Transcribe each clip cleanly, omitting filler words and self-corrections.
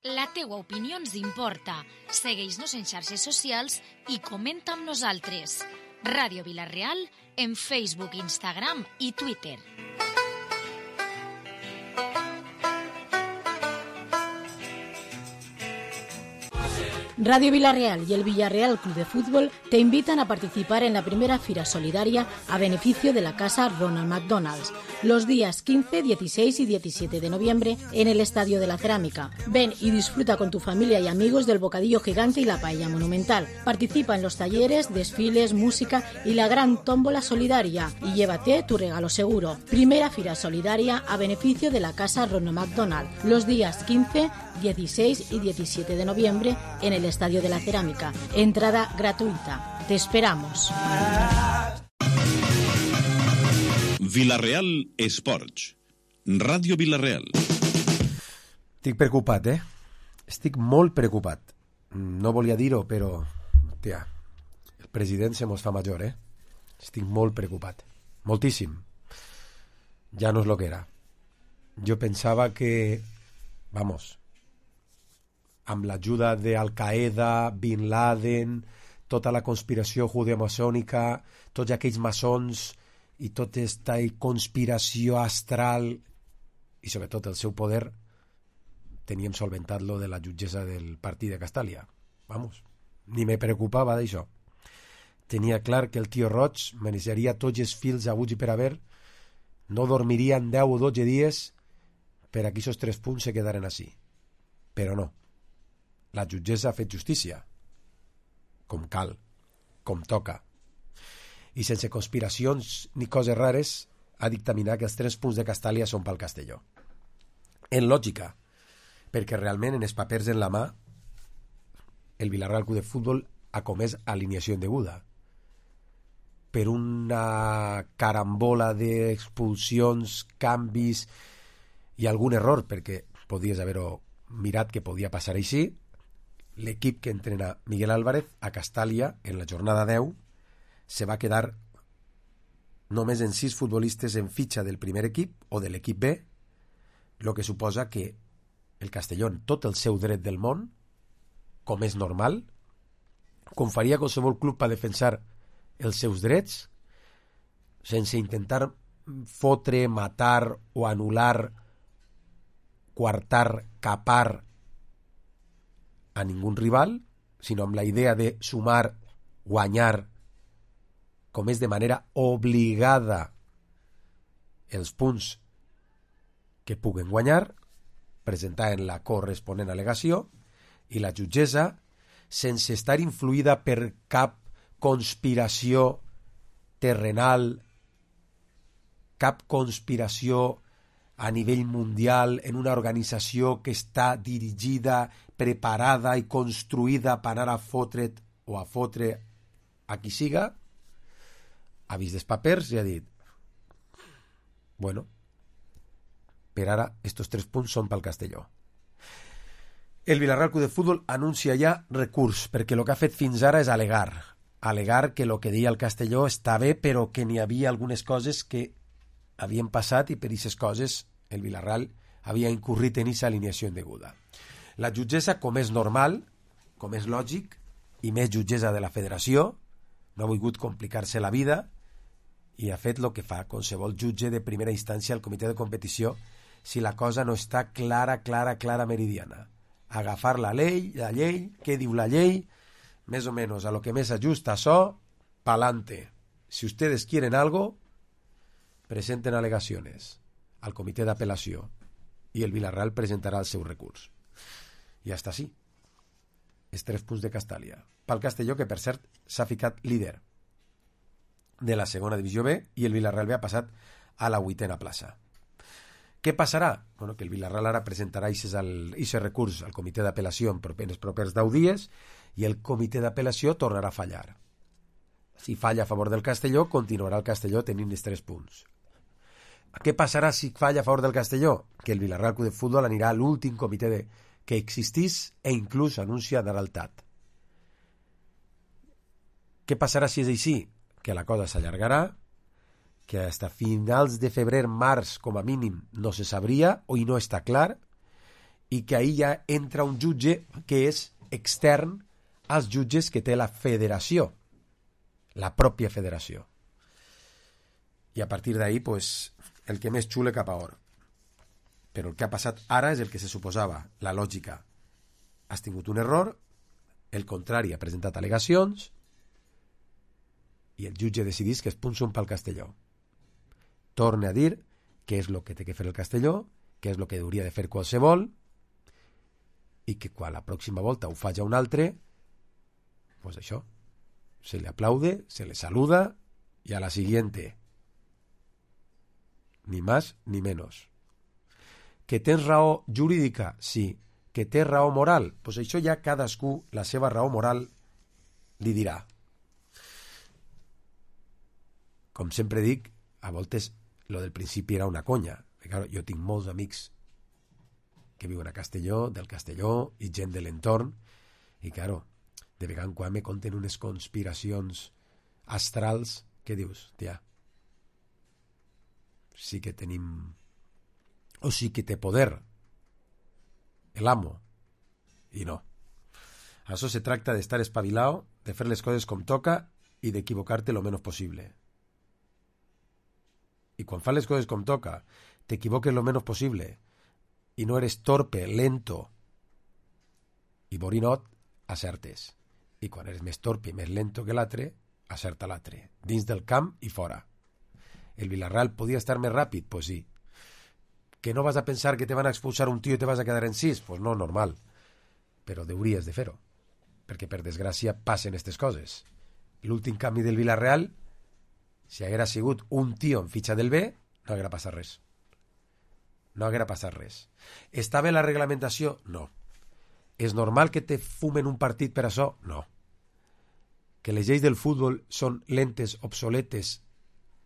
La teua opinió ens importa. Segueix-nos en xarxes socials i comenta amb nosaltres. Ràdio Vila-real en Facebook, Instagram i Twitter. Radio Vila-real y el Villarreal Club de Fútbol te invitan a participar en la primera Fira Solidaria a beneficio de la Casa Ronald McDonald's, los días 15, 16 y 17 de noviembre en el Estadio de la Cerámica. Ven y disfruta con tu familia y amigos del bocadillo gigante y la paella monumental. Participa en los talleres, desfiles, música y la gran tómbola solidaria y llévate tu regalo seguro. Primera Fira Solidaria a beneficio de la Casa Ronald McDonald, los días 15, 16 y 17 de noviembre en el Estadio de la Cerámica. Entrada gratuita. Te esperamos. Vila-real Esports. Ràdio Vila-real. Estic preocupat, Estic molt preocupat. No volia dir-ho, però... Hòstia, el president se mos fa major, Estic molt preocupat. Moltíssim. Ja no és lo que era. Jo pensava que... Vamos... amb l'ajuda d'Al-Qaeda, Bin Laden, tota la conspiració judeomaçònica, tots aquells maçons i tota aquesta conspiració astral i sobretot el seu poder, teníem solventat lo de la jutgessa del partit de Castàlia. Vamos, ni me preocupava d'això. Tenia clar que el tio Roig manejaria tots els fils aguts i per haver, no dormirien 10 o 12 dies per aquí esos 3 punts se quedaren així. Però no. La jutgessa ha fet justícia, com cal, com toca, i sense conspiracions ni coses rares ha dictaminat que els 3 punts de Castàlia són pel Castelló. En lògica, perquè realment en els papers en la mà el Villarreal Club de Futbol ha comès alineació indeguda per una carambola d'expulsions, canvis i algun error, perquè podies haver-ho mirat que podia passar així. L'equip que entrena Miguel Álvarez a Castàlia en la jornada 10 se va quedar només en 6 futbolistes en fitxa del primer equip o de l'equip B, el que suposa que el Castelló, en tot el seu dret del món, com és normal, com faria qualsevol club per defensar els seus drets, sense intentar fotre, matar o anul·lar, coartar, capar a ningú rival, sinó amb la idea de sumar, guanyar, com és de manera obligada els punts que puguen guanyar, presentar en la corresponent al·legació, i la jutgessa, sense estar influïda per cap conspiració terrenal, cap conspiració a nivell mundial en una organització que està dirigida, preparada i construïda per anar a fotre't o a fotre a qui siga, ha vist els papers i ha dit bueno, per ara estos 3 punts són pel Castelló. El Villarreal Club de Futbol anuncia ja recurs, perquè el que ha fet fins ara és alegar que el que deia el Castelló està bé, però que n'hi havia algunes coses que havien passat i per aquestes coses el Villarreal havia incurrit en aquesta alineació indeguda. La jutgessa, com és normal, com és lògic, i més jutgessa de la federació, no ha volgut complicar-se la vida i ha fet el que fa qualsevol jutge de primera instància al comitè de competició si la cosa no està clara, meridiana. Agafar la llei, què diu la llei, més o menys a lo que més ajusta això, pa'lante. Si ustedes quieren algo, presenten alegaciones al comitè d'apel·lació i el Villarreal presentarà el seu recurs. I hasta així. Els 3 punts de Castàlia. Pel Castelló, que per cert s'ha ficat líder de la segona divisió B i el Villarreal B ha passat a la 8ª plaça. Què passarà? Bueno, que el Villarreal ara presentarà aquest recurs al comitè d'apel·lació en els propers 10 dies i el comitè d'apel·lació tornarà a fallar. Si falla a favor del Castelló, continuarà el Castelló tenint els 3 punts. Què passarà si falla a favor del Castelló? Que el Villarreal Club de Futbol anirà a l'últim comitè que existís e inclús anuncia anar al TAT. Què passarà si és així? Que la cosa s'allargarà, que hasta finals de febrer, març, com a mínim, no se sabria o no està clar, i que ahir ja entra un jutge que és extern als jutges que té la federació, la pròpia federació. I a partir d'ahir, pues, el que més xule cap a or. Però el que ha passat ara és el que se suposava, la lògica. Has tingut un error, el contrari ha presentat al·legacions i el jutge decidís que els punts són pel Castelló. Torne a dir què és el que té que fer el Castelló, què és el que hauria de fer qualsevol, i que quan la pròxima volta ho faci un altre, pues això, se le aplaude, se le saluda y a la siguiente. Ni más ni menos. Que tens raó jurídica? Sí. Que té raó moral? Pues això ja cadascú la seva raó moral li dirà. Com sempre dic, a voltes lo del principi era una conya. Claro, jo tinc molts amics que viuen a Castelló, del Castelló, i gent de l'entorn, i claro, de vegada en quan me conten unes conspiracions astrals que dius, tia, sí que tenim, o sí que té poder el amo, i no. Això se tracta d'estar espavilado, de fer les coses com toca i d'equivocar-te lo menos possible. I quan fas les coses com toca, t'equivoques lo menos possible, i no eres torpe, lento i borinot, acertes. I quan eres més torpe i més lento que l'altre, acerta l'altre, dins del camp i fora. El Villarreal podia estar més ràpid? Pues sí. Que no vas a pensar que te van a expulsar un tio i te vas a quedar en 6? Pues no, normal. Però hauries de fer-ho, perquè per desgràcia passen aquestes coses. L'últim canvi del Villarreal, si haguera sigut un tio en fitxa del B, no haguera passat res. No haguera passat res. Està bé la reglamentació? No. És normal que te fumen un partit per això? No. Que les lleis del futbol són lentes, obsoletes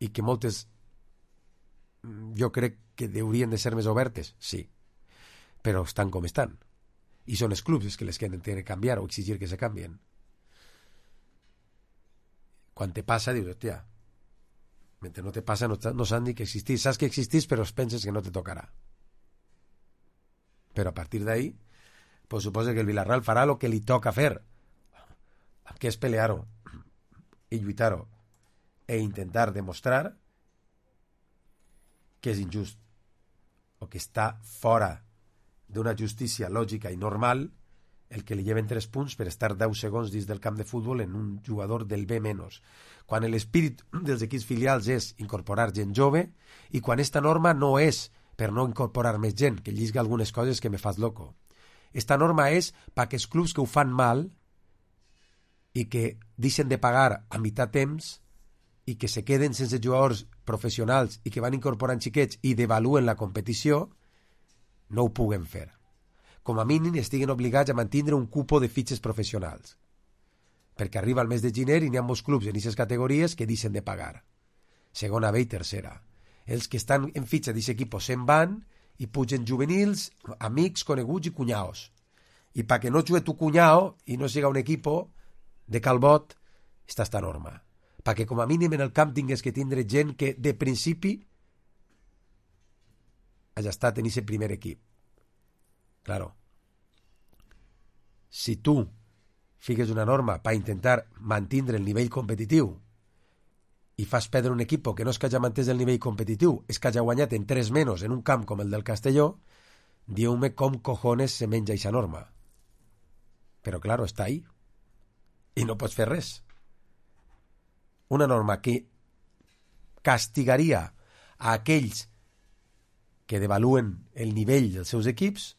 i que moltes jo crec que haurien de ser més obertes? Sí. Però estan com estan. I són els clubs que les que han de canviar o exigir que se canvien. Quan te passa, dius, hòstia, mentre no te passa no s'han dit que existís. Saps que existís, però penses que no te tocarà. Però a partir d'ahí, pues suposa que el Villarreal farà el que li toca fer, que és pelear-ho i lluitar-ho e intentar demostrar que és injust o que està fora d'una justícia lògica i normal el que li lleven 3 punts per estar 10 segons dins del camp de futbol en un jugador del B-, quan l'espírit dels equips filials és incorporar gent jove i quan esta norma no és per no incorporar més gent, que llisga algunes coses que me fas loco. Esta norma és perquè els clubs que ho fan mal i que deixen de pagar a meitat temps i que se queden sense jugadors professionals i que van incorporant xiquets i devaluen la competició, no ho puguen fer. Com a mínim estiguen obligats a mantenir un cupo de fitxes professionals. Perquè arriba el mes de gener i n'hi ha molts clubs en aquestes categories que deixen de pagar. Segona B i tercera. Els que estan en fitxa d'aquest equip se'n van i pugen juvenils, amics, coneguts i cunyaos. I perquè no jugui tu cunyao i no siga un equip de Calbot, està esta norma. Perquè com a mínim en el camp tingues que tindre gent que de principi hagi estat en aquest primer equip. Claro. Si tu figues una norma per intentar mantenir el nivell competitiu i fas perdre un equip que no és que hagi mantès el nivell competitiu, és que hagi guanyat en 3 menys en un camp com el del Castelló, dieu-me com cojones se menja aquesta norma. Però claro, està ahí i no pots fer res. Una norma que castigaria a aquells que devaluen el nivell dels seus equips,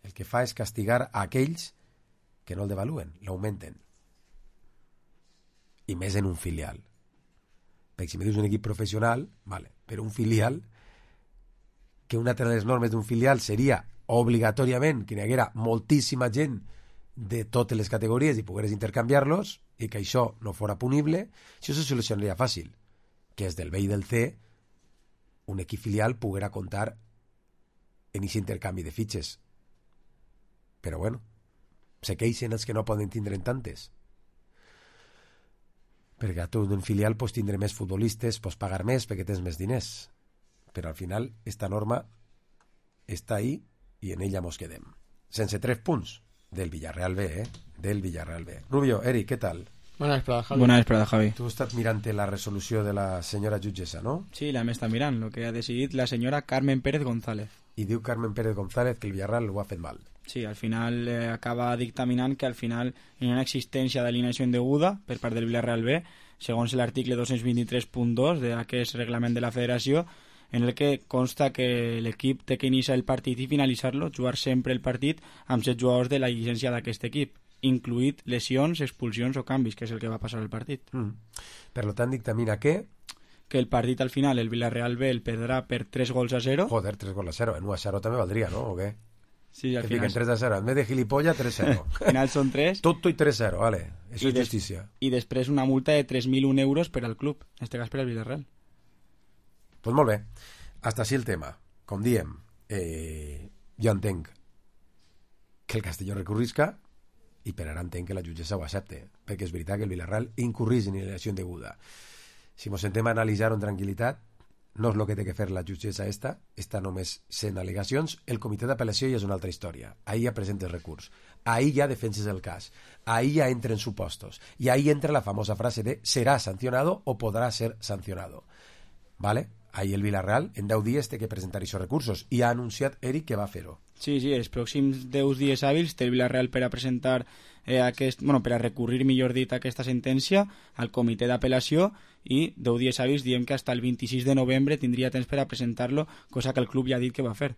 el que fa és castigar a aquells que no el devaluen, l'augmenten. I més en un filial. Perquè si me dius un equip professional, vale, però un filial, que una de les normes d'un filial seria obligatòriament que n'hi haguera moltíssima gent de totes les categories i pogueres intercanviar-los i que això no fora punible, això se solucionaria fàcil, que és del B i del C un equip filial poguera comptar en aquest intercanvi de fitxes. Però bueno, se queixen els que no poden tindre tantes. Perquè a tu d'un filial pots tindre més futbolistes, pots pagar més perquè tens més diners. Però al final esta norma està ahí i en ella mos quedem. Sense 3 punts del Villarreal B, del Villarreal B. Rubio, Eric, què tal? Buena vesprada, Javi. Buena vesprada, Javi. Tu has estat mirant la resolució de la senyora jutgessa, no? Sí, la m'està mirant, lo que ha decidit la senyora Carmen Pérez González. I diu Carmen Pérez González que el Villarreal ho ha fet mal. Sí, al final acaba dictaminant que al final hi ha una existència d'alineació indeguda per part del Villarreal B, segons l'article 223.2 d'aquest reglament de la federació, en el que consta que l'equip té que iniciar el partit i finalitzar-lo, jugar sempre el partit amb 7 jugadors de la llicència d'aquest equip, incluït lesions, expulsions o canvis, que és el que va passar al partit. Per tant, dictamina que el partit al final, el Villarreal B el perdrà per 3-0. Joder, 3-0. En 1-0 també valdria, no? O què? Sí, al que final... fiquen 3-0. En vez de gilipollas, 3-0. Al final són 3. Tot i 3-0, vale. Això és justícia. I després una multa de 3.001 euros per al club, en este cas per al Villarreal. Pues molt bé. Hasta així el tema. Com diem, jo entenc que el Castelló recurrisca i per ara entenc que la jutgessa ho accepte, perquè és veritat que el Villarreal incurrís en alineació indeguda. Si ens sentem a analitzar-ho en tranquil·litat, no és el que té que fer la jutgessa està només sent al·legacions. El comitè d'apel·lació ja és una altra història. Ahí ja presentes recurs, ahí ja defenses el cas, ahí ja entren supostos, i ahí entra la famosa frase de serà sancionado o podrà ser sancionado. ¿Vale? Ahí el Villarreal en 10 dies té que presentar aquests recursos i ha anunciat Eric que va fer-ho. Sí, els pròxims 10 dies hàbils té el Villarreal per a presentar per a recurrir, millor dit, aquesta sentència al comitè d'apel·lació, i 10 dies hàbils diem que fins el 26 de novembre tindria temps per a presentar-lo, cosa que el club ja ha dit que va fer.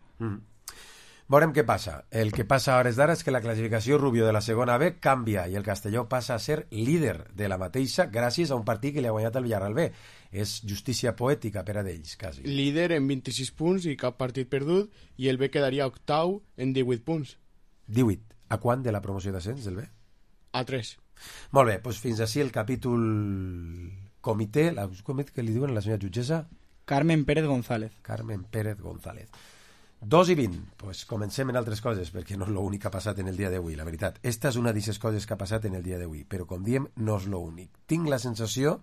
Veurem què passa. El que passa a hores d'ara és que la classificació, Rubio, de la segona B canvia i el Castelló passa a ser líder de la mateixa gràcies a un partit que li ha guanyat el Villarreal B. És justícia poètica per a d'ells, quasi. Líder en 26 punts i cap partit perdut, i el B quedaria octau en 18 punts. 18. A quant de la promoció d'ascens del B? A 3. Molt bé, doncs fins així el capítol comitè, com que li diuen a la senyora jutgessa? Carmen Pérez González. Carmen Pérez González. 2:20, pues comencem en altres coses, perquè no és l'únic que ha passat en el dia d'avui, la veritat. Esta és una d'aquestes coses que ha passat en el dia d'avui, però com diem, no és l'únic. Tinc la sensació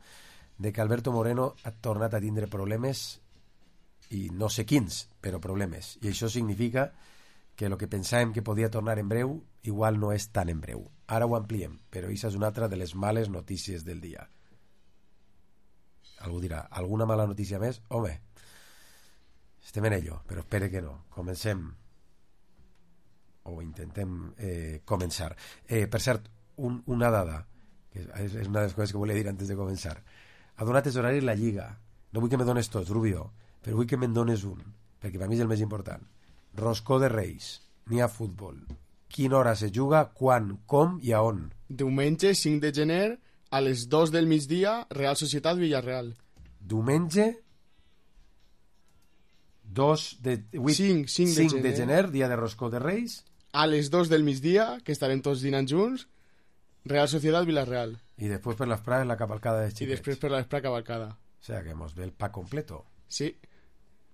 de que Alberto Moreno ha tornat a tindre problemes, i no sé quins, però problemes. I això significa que el que pensàvem que podia tornar en breu, igual no és tan en breu. Ara ho ampliem, però això és una altra de les males notícies del dia. Algú dirà, alguna mala notícia més? Home, estem en ello, però espere que no. Comencem. O intentem començar. Per cert, una dada, que és una de les coses que volia dir antes de començar. Ha donat els horaris la Lliga. No vull que me dones tots, Rubio, però vull que me'n dones un, perquè per mi és el més important. Roscó de Reis, n'hi ha futbol. Quina hora se juga, quan, com i a on? Diumenge 5 de gener a les 2 del migdia, Real Societat Villarreal. Diumenge 5 de gener, dia de Roscó de Reis. A les 2 del migdia, que estarem tots dinant junts, Real Societat Villarreal. I després per l'esprà la cavalcada de xiquets. I després per l'esprà cavalcada. O sea que mos ve el pack completo. Sí.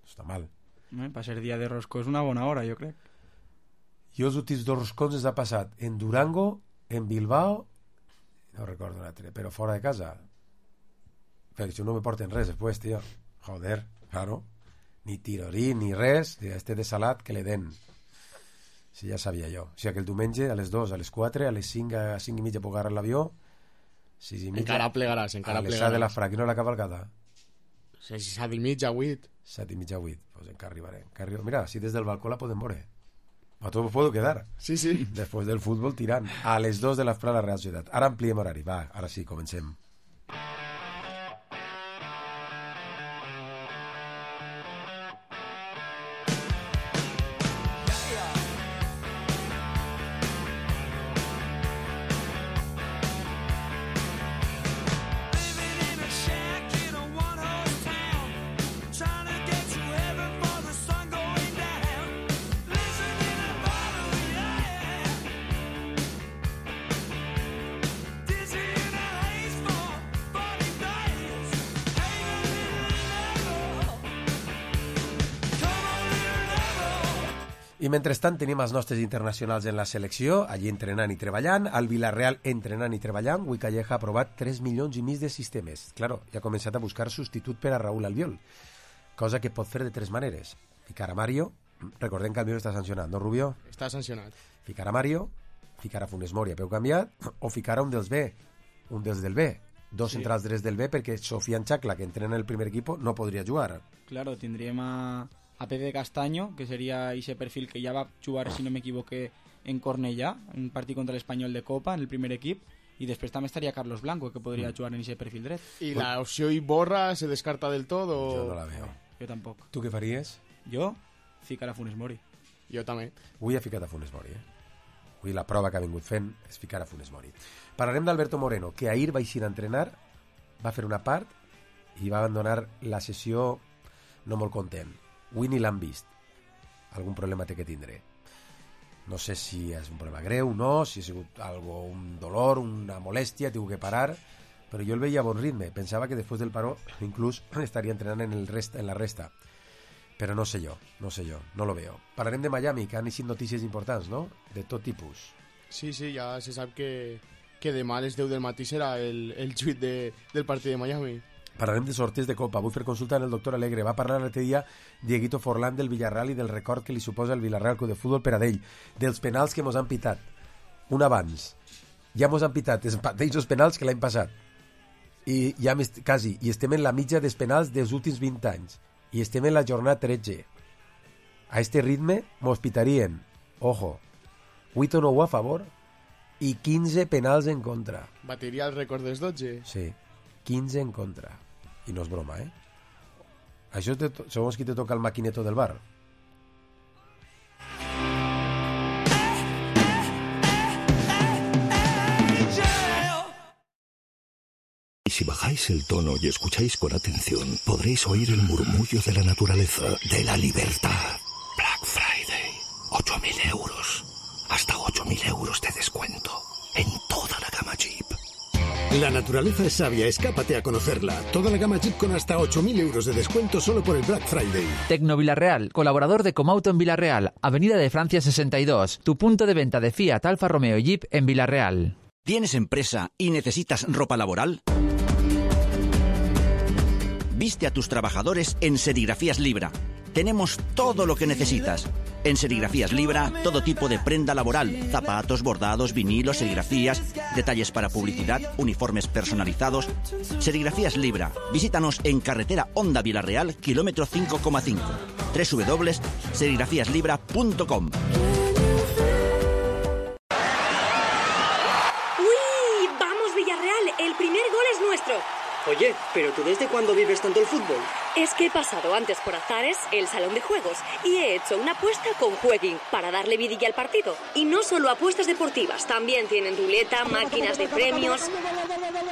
Està mal. Per ser dia de roscó és una bona hora, jo crec. Jo els últims 2 roscons els ha passat en Durango, en Bilbao, no recordo un altre, però fora de casa. Perquè si no me porten res després, tio. Joder, claro. Ni tirorí, ni res, este de salat que le den. Si ja sabia jo. O sigui que el diumenge a les 2, a les 4, a les 5, a 5 i mitja puc agarrar l'avió, 6 i mitja... Encara plegaràs, a les 7 de la Fraquina la cavalcada. 7 i mitja, 8. 7 i mitja, 8. Pues encara arribaré. Mira, si des del balcó la podem veure. A tot puedo quedar. Sí, sí. Después del fútbol tirant. A les 2 de l'esprà la Real Societat. Ara ampliem horari. Va, ara sí, comencem. I mentrestant tenim els nostres internacionals en la selecció, allí entrenant i treballant, al Villarreal entrenant i treballant. Ui, Calleja ha aprovat 3 milions i mig de sistemes. Claro, ja ha començat a buscar substitut per a Raúl Albiol, cosa que pot fer de 3 maneres. Ficar a Mario, Recordem que el Albiol està sancionat, no, Rubio? Està sancionat. Ficar a Mario, ficar a Funes Mori a peu canviat, o ficar a un dels B, un dels del B. Dos centrals drets del B, perquè Sofian Chacla, que entrena el primer equip, no podria jugar. Claro, tindríem a Pepe Castaño, que seria ese perfil que ja va jugar, si no m'equivoque, en Cornellà, un partit contra l'Espanyol de Copa, en el primer equip, i després també estaria Carlos Blanco, que podria jugar en ese perfil dret. ¿Y la opción Iborra se descarta del todo? Jo no la veo. Jo tampoc. Tu què faries? Jo, ficar a Funes Mori. Jo també. Avui ha ficat a Funes Mori, Avui la prova que ha vingut fent és ficar a Funes Mori. Parlarem d'Alberto Moreno, que ahir va eixir a entrenar, va fer una part i va abandonar la sessió no molt content. Avui ni l'han vist. Algun problema té que tindré. No sé si és un problema greu, no, si ha sigut un dolor, una molèstia, tinc que parar, però jo el veia a bon ritme. Pensava que després del paró inclús estaria entrenant en la resta. Però no sé jo, no lo veo. Parlarem de Miami, que han eixit notícies importants, no? De tot tipus. Sí, ja se sap que demà a les 10 del matí serà el tuit del partit de Miami. Parlarem de sorteig de Copa. Vull fer consulta amb el doctor Alegre. Va parlar l'altre dia Dieguito Forlán del Villarreal i del record que li suposa el Villarreal Club de Futbol per a d'ell, dels penals que mos han pitat. Un abans. Ja mos han pitat els mateixos penals que l'any passat. I ja quasi. I estem en la mitja dels penals dels últims 20 anys. I estem en la jornada 13. A este ritme mos pitarien, ojo, 8 o 9 a favor i 15 penals en contra. Batiria el rècord dels 12? Sí, 15 en contra. I no és broma, Això segons qui te toca el maquineto del bar. Si bajáis el tono y escucháis con atención, podréis oír el murmullo de la naturaleza, de la libertad. Black Friday, 8.000 euros. Hasta 8.000 euros de descuento en toda la gama Jeep. La naturaleza es sabia, escápate a conocerla. Toda la gama Jeep con hasta 8.000 euros de descuento solo por el Black Friday. Tecno Villarreal, colaborador de Comauto en Villarreal, Avenida de Francia 62, tu punto de venta de Fiat, Alfa Romeo y Jeep en Villarreal. ¿Tienes empresa y necesitas ropa laboral? Viste a tus trabajadores en Serigrafías Libra. Tenemos todo lo que necesitas. En Serigrafías Libra, todo tipo de prenda laboral, zapatos, bordados, vinilos, serigrafías, detalles para publicidad, uniformes personalizados. Serigrafías Libra. Visítanos en carretera Honda Villarreal, kilómetro 5,5. www.serigrafiaslibra.com. ¡Uy! ¡Vamos, Villarreal! El primer gol es nuestro. Oye, ¿pero tú desde cuándo vives tanto el fútbol? Es que he pasado antes por Azares, el salón de juegos, y he hecho una apuesta con Jueguin para darle vidilla al partido. Y no solo apuestas deportivas, también tienen ruleta, máquinas de premios.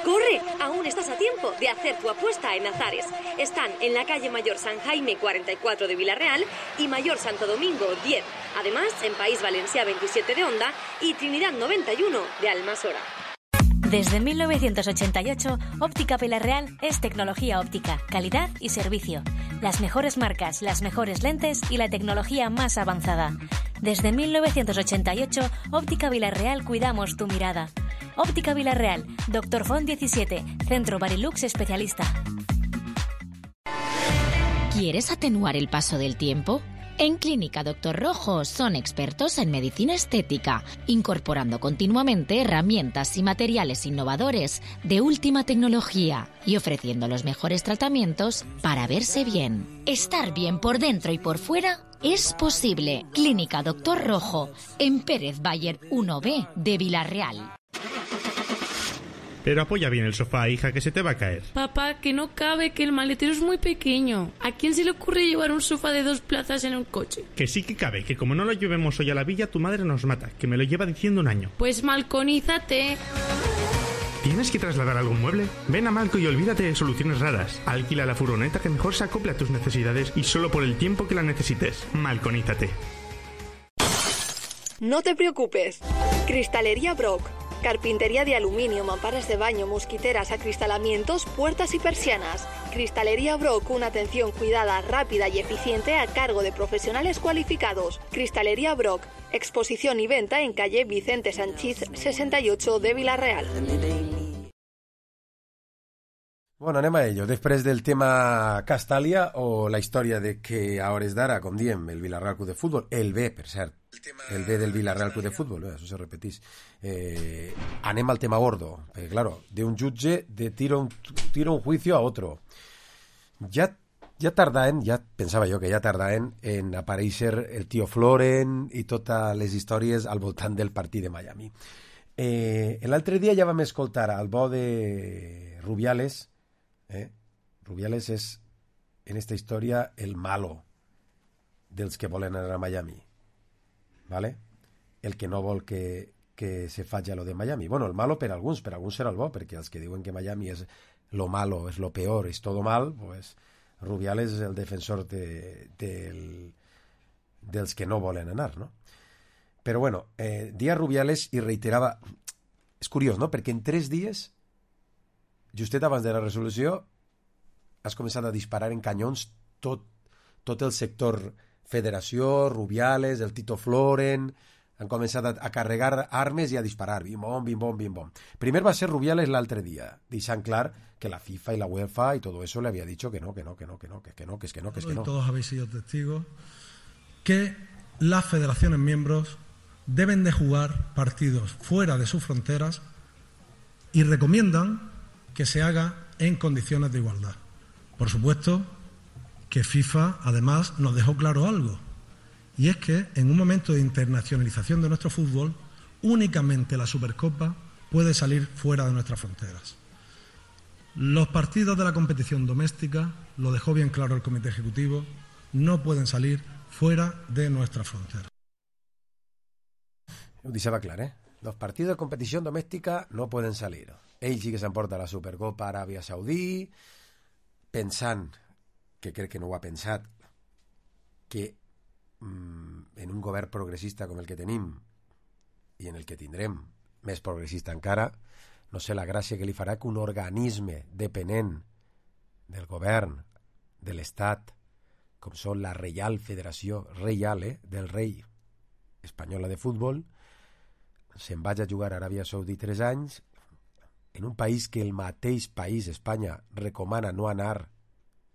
¡Corre! Aún estás a tiempo de hacer tu apuesta en Azares. Están en la calle Mayor San Jaime 44 de Villarreal y Mayor Santo Domingo 10. Además, en País Valencia 27 de Onda y Trinidad 91 de Almasora. Desde 1988, Óptica Villarreal es tecnología óptica, calidad y servicio. Las mejores marcas, las mejores lentes y la tecnología más avanzada. Desde 1988, Óptica Villarreal cuidamos tu mirada. Óptica Villarreal, Dr. Font 17, Centro Barilux especialista. ¿Quieres atenuar el paso del tiempo? En Clínica Dr. Rojo son expertos en medicina estética, incorporando continuamente herramientas y materiales innovadores de última tecnología y ofreciendo los mejores tratamientos para verse bien. Estar bien por dentro y por fuera es posible. Clínica Dr. Rojo, en Pérez Bayer 1B de Villarreal. Pero apoya bien el sofá, hija, que se te va a caer. Papá, que no cabe, que el maletero es muy pequeño. ¿A quién se le ocurre llevar un sofá de 2 plazas en un coche? Que sí que cabe, que como no lo llevemos hoy a la villa, tu madre nos mata, que me lo lleva diciendo un año. Pues malconízate. ¿Tienes que trasladar algún mueble? Ven a Malco y olvídate de soluciones raras. Alquila la furgoneta que mejor se acople a tus necesidades y solo por el tiempo que la necesites. Malconízate. No te preocupes. Cristalería Brock. Carpintería de aluminio, mamparas de baño, mosquiteras, acristalamientos, puertas y persianas. Cristalería Brock, una atención cuidada, rápida y eficiente a cargo de profesionales cualificados. Cristalería Brock, exposición y venta en calle Vicente Sanchís 68 de Villarreal. Bueno, anem a ello. Després del tema Castàlia o la història de que a hores d'ara, com diem, el Villarreal Club de Futbol, el B, per cert, el B del Villarreal Club de Futbol, això se repetís. Anem al tema gordo, perquè, claro, de un jutge tira un juicio a otro. Ja pensava jo que ja tardaven en aparèixer el tio Floren i totes les històries al voltant del partit de Miami. L'altre dia ja vam escoltar al bo de Rubiales. Rubiales és, en esta història, el malo dels que volen anar a Miami, ¿vale? El que no vol que se faci lo de Miami. Bueno, el malo per alguns serà el bo, perquè els que diuen que Miami és lo malo, és lo peor, és todo mal, pues Rubiales és el defensor dels que no volen anar, no? Però bueno, dia Rubiales i reiterava... És curiós, no? Perquè en 3 dies, justet abans de la resolució, has començat a disparar en canyons tot el sector federació, Rubiales, el Tito Floren, han començat a carregar armes i a disparar, bim-bom, bim-bom, bim-bom. Primer va ser Rubiales l'altre dia, deixant clar que la FIFA y la UEFA y todo eso le había dicho que no. Todos habéis sido testigos que las federaciones miembros deben de jugar partidos fuera de sus fronteras y recomiendan que se haga en condiciones de igualdad. Por supuesto que FIFA además nos dejó claro algo, y es que en un momento de internacionalización de nuestro fútbol únicamente la Supercopa puede salir fuera de nuestras fronteras. Los partidos de la competición doméstica, lo dejó bien claro el Comité Ejecutivo, no pueden salir fuera de nuestras fronteras. Ho deixava clar, Los partidos de competición doméstica no pueden salir. Ell sí que s'emporta la Supercopa a Aràbia Saudí, pensant, que crec que no ho ha pensat, que en un govern progressista com el que tenim i en el que tindrem més progressista encara, no sé la gràcia que li farà que un organisme depenent del govern, de l'Estat, com són la Reial Federació Reial, del rei espanyola de futbol, se'n vaig a jugar a Aràbia Saudí 3 anys, en un país que el mateix país, Espanya, recomana no anar.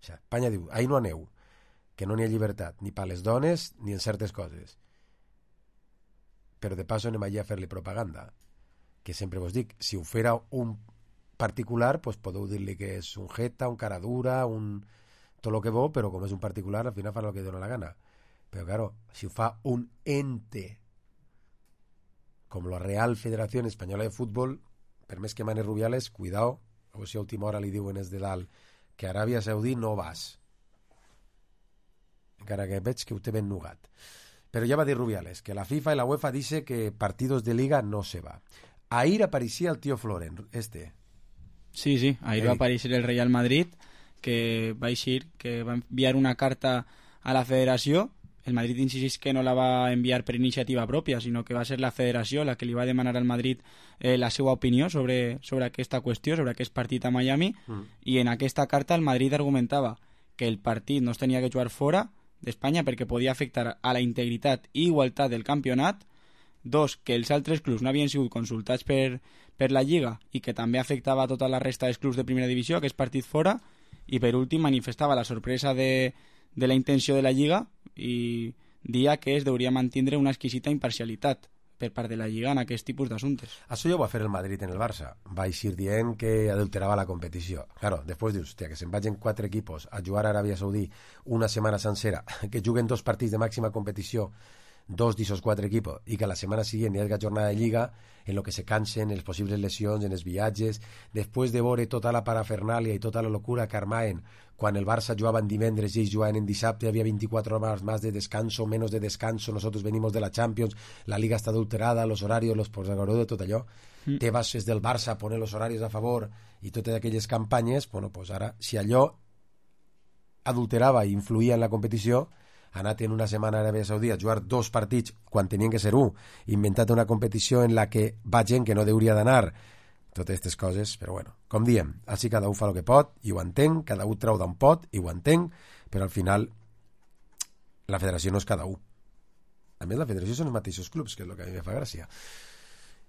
O sigui, Espanya diu, ahí no aneu, que no n'hi ha llibertat, ni per les dones, ni en certes coses. Però de paso anem allà a fer-li propaganda. Que sempre vos dic, si ho fera un particular, pues podeu dir-li que és un jeta, un cara dura, tot el que vol, però com és un particular, al final fa el que dona la gana. Però, claro, si ho fa un ente com la Real Federació Espanyola de Futbol, per més que mane Rubiales, cuidao, o si a última hora li diuen des de dalt que a Aràbia Saudí no vas. Encara que veig que ho té ben nugat. Però ja va dir Rubiales que la FIFA y la UEFA dice que partidos de liga no se va. Ahir apareixia el tío Floren, Sí, ahir va aparèixer el Real Madrid, que va eixir, que va enviar una carta a la federació. El Madrid insisteix que no la va enviar per iniciativa pròpia, sinó que va ser la federació la que li va demanar al Madrid la seva opinió sobre aquesta qüestió, sobre aquest partit a Miami, i en aquesta carta el Madrid argumentava que el partit no es tenia que jugar fora d'Espanya perquè podia afectar a la integritat i igualtat del campionat. 2, que els altres clubs no havien sigut consultats per la Lliga i que també afectava a tota la resta dels clubs de primera divisió, aquest partit fora. I per últim manifestava la sorpresa de la intenció de la Lliga i dia que es deuria mantindre una exquisita imparcialitat per part de la Lliga en aquest tipus d'assumptes. Això ja ho va fer el Madrid en el Barça. Va eixir dient que adulterava la competició. Claro, després dius, hòstia, que se'n vagin 4 equipos a jugar a Aràbia Saudí una setmana sencera, que juguen 2 partits de màxima competició, 2 d'aquests 4 equipos, i que la setmana següent hi hagi jornada de Lliga, en lo que se cansen, en les possibles lesions, en els viatges, després de veure tota la parafernàlia i tota la locura que armaven quan el Barça jugava en divendres i ells jugaven en dissabte, había 24 horas más de descanso, menos de descanso, nosotros venimos de la Champions, la Liga está adulterada, los horarios, los posagoró de tot allò, te vas des del Barça a poner los horarios a favor i totes aquelles campanyes, bueno, pues ara, si allò adulterava i influïa en la competició, anat en una setmana a Aràbia Saudí a jugar 2 partits quan tenien que ser 1, inventat una competició en la que va gent que no hauria d'anar, totes aquestes coses, però bueno, com diem, així cada un fa el que pot i ho entenc, cada un treu d'on pot i ho entenc, però al final la federació no és cada un. A més, la federació són els mateixos clubs, que és el que a mi me fa gràcia.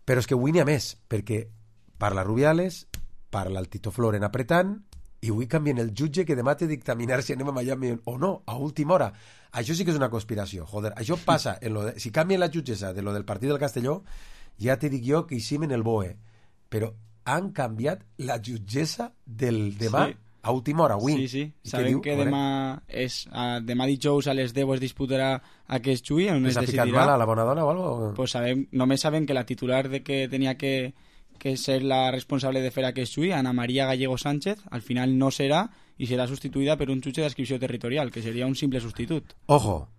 Però és que avui n'hi ha més, perquè parla Rubiales, parla el Tito Floren apretant i avui canvien el jutge que demà té dictaminar si anem a Miami o no, a última hora. Això sí que és una conspiració, joder. Això passa, si canvien la jutgessa de lo del partit del Castelló, ja te dic jo que hicim en el BOE, però han canviat la jutgessa del demà a última hora, avui. Sí. Sabem que demà dijous a les 10 es disputarà aquest juí, on es ha decidirà. ficat mal a la bona dona o algo? Pues només sabem que la titular de que tenia que ser la responsable de fer aquest juí, Ana María Gallego Sánchez, al final no serà i serà substituïda per un jutge d'adscripció territorial, que seria un simple substitut. Ojo,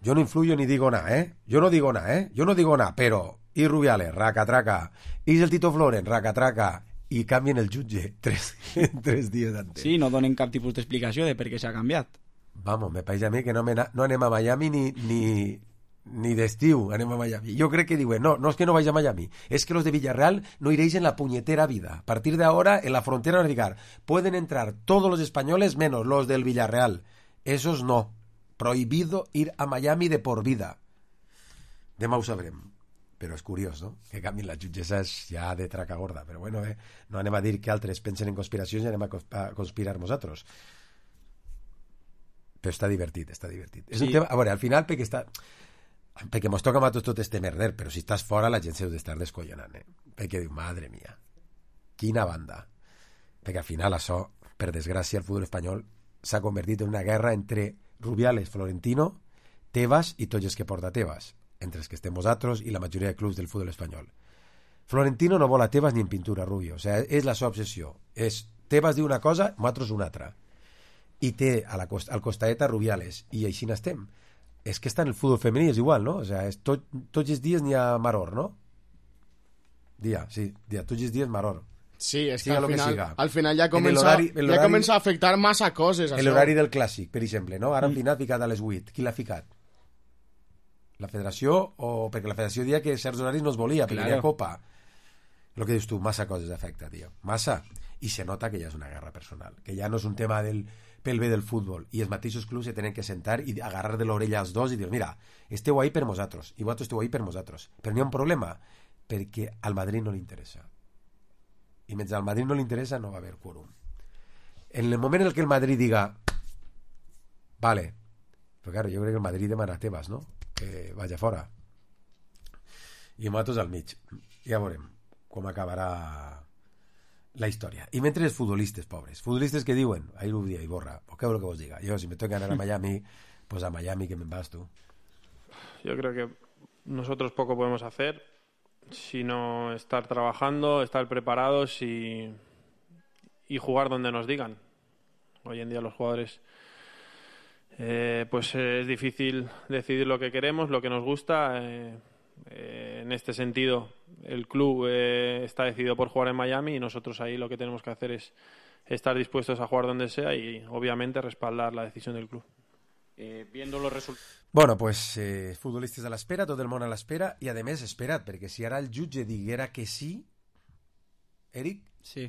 yo no influyo ni digo nada, ¿eh? Yo no digo nada, pero... Y Rubiales, raca-traca. Y el Tito Floren, raca-traca. I canvien el jutge 3 dies antes. Sí, no donen cap tipus d'explicació de per què s'ha canviat. Vamos, me pareix a mi que no anem a Miami ni d'estiu anem a Miami. Jo crec que diuen, no és que no vaig a Miami, és que los de Villarreal no iréis en la puñetera vida. A partir de ahora, en la frontera van a ficar, pueden entrar todos los españoles menos los del Villarreal. Esos no. Prohibido ir a Miami de por vida. Demà ho sabrem. Però és curiós, no? Que canvien les jutgesses ja de traca gorda. Però bueno, no anem a dir que altres pensen en conspiracions i anem a conspirar nosaltres. Però està divertit. És un tema... A veure, al final, perquè mos toca a tots tot este merder, però si estàs fora la gent s'ha d'estar descollonant, perquè diu, madre mia, quina banda. Perquè al final això, per desgràcia, el futbol espanyol s'ha convertit en una guerra entre Rubiales, Florentino, Tebas i tots els que porta Tebas, entre els que estem vosaltres i la majoria de clubs del futbol espanyol. Florentino no vol a Tebas ni en pintura, Rubio. O sea, és la seva obsessió. Tebas diu una cosa, nosaltres una altra. I té al costat a Rubiales. I així n'estem. És que està en el futbol femení, és igual, no? O sea, tots els dies n'hi ha maror, no? Tots els dies maror. Sí, és que al final ja comença a afectar massa coses. L'horari del clàssic, per exemple, no? Ara al final ha ficat a les 8. Qui l'ha ficat? La federació, o perquè la federació dia que certs horaris no es volia, perquè hi ha copa. El que dius tu, massa coses afecta, tio. Massa. I se nota que ja és una guerra personal, que ja no és un tema pel bé del futbol. I els mateixos clubs se tenen que sentar i agarrar de l'orella als dos i dir, mira, esteu ahí per nosaltres, i vosaltres esteu ahí per nosaltres. Però n'hi ha un problema, perquè al Madrid no li interessa. I mentre al Madrid no li interessa, no va haver quòrum. En el moment en què el Madrid diga, vale, però claro, jo crec que el Madrid demana Tebas, no? Que vagi fora i nosaltres al mig. Ja veurem com acabarà la història. I mentre els futbolistes pobres, futbolistes que diuen ahir ho dia i borra, o què vol que vos diga, jo si me toca anar a Miami, pues a Miami que me vas tú. Yo creo que nosotros poco podemos hacer sino estar trabajando, estar preparados y jugar donde nos digan. Hoy en día los jugadores pues es difícil decidir lo que queremos, lo que nos gusta. En este sentido, el club está decidido por jugar en Miami y nosotros ahí lo que tenemos que hacer es estar dispuestos a jugar donde sea y obviamente respaldar la decisión del club. Viendo los resultados. Bueno, pues futbolistes a l'espera, tot el món a l'espera i a més espera't, perquè si ara el jutge diguera que sí, Eric,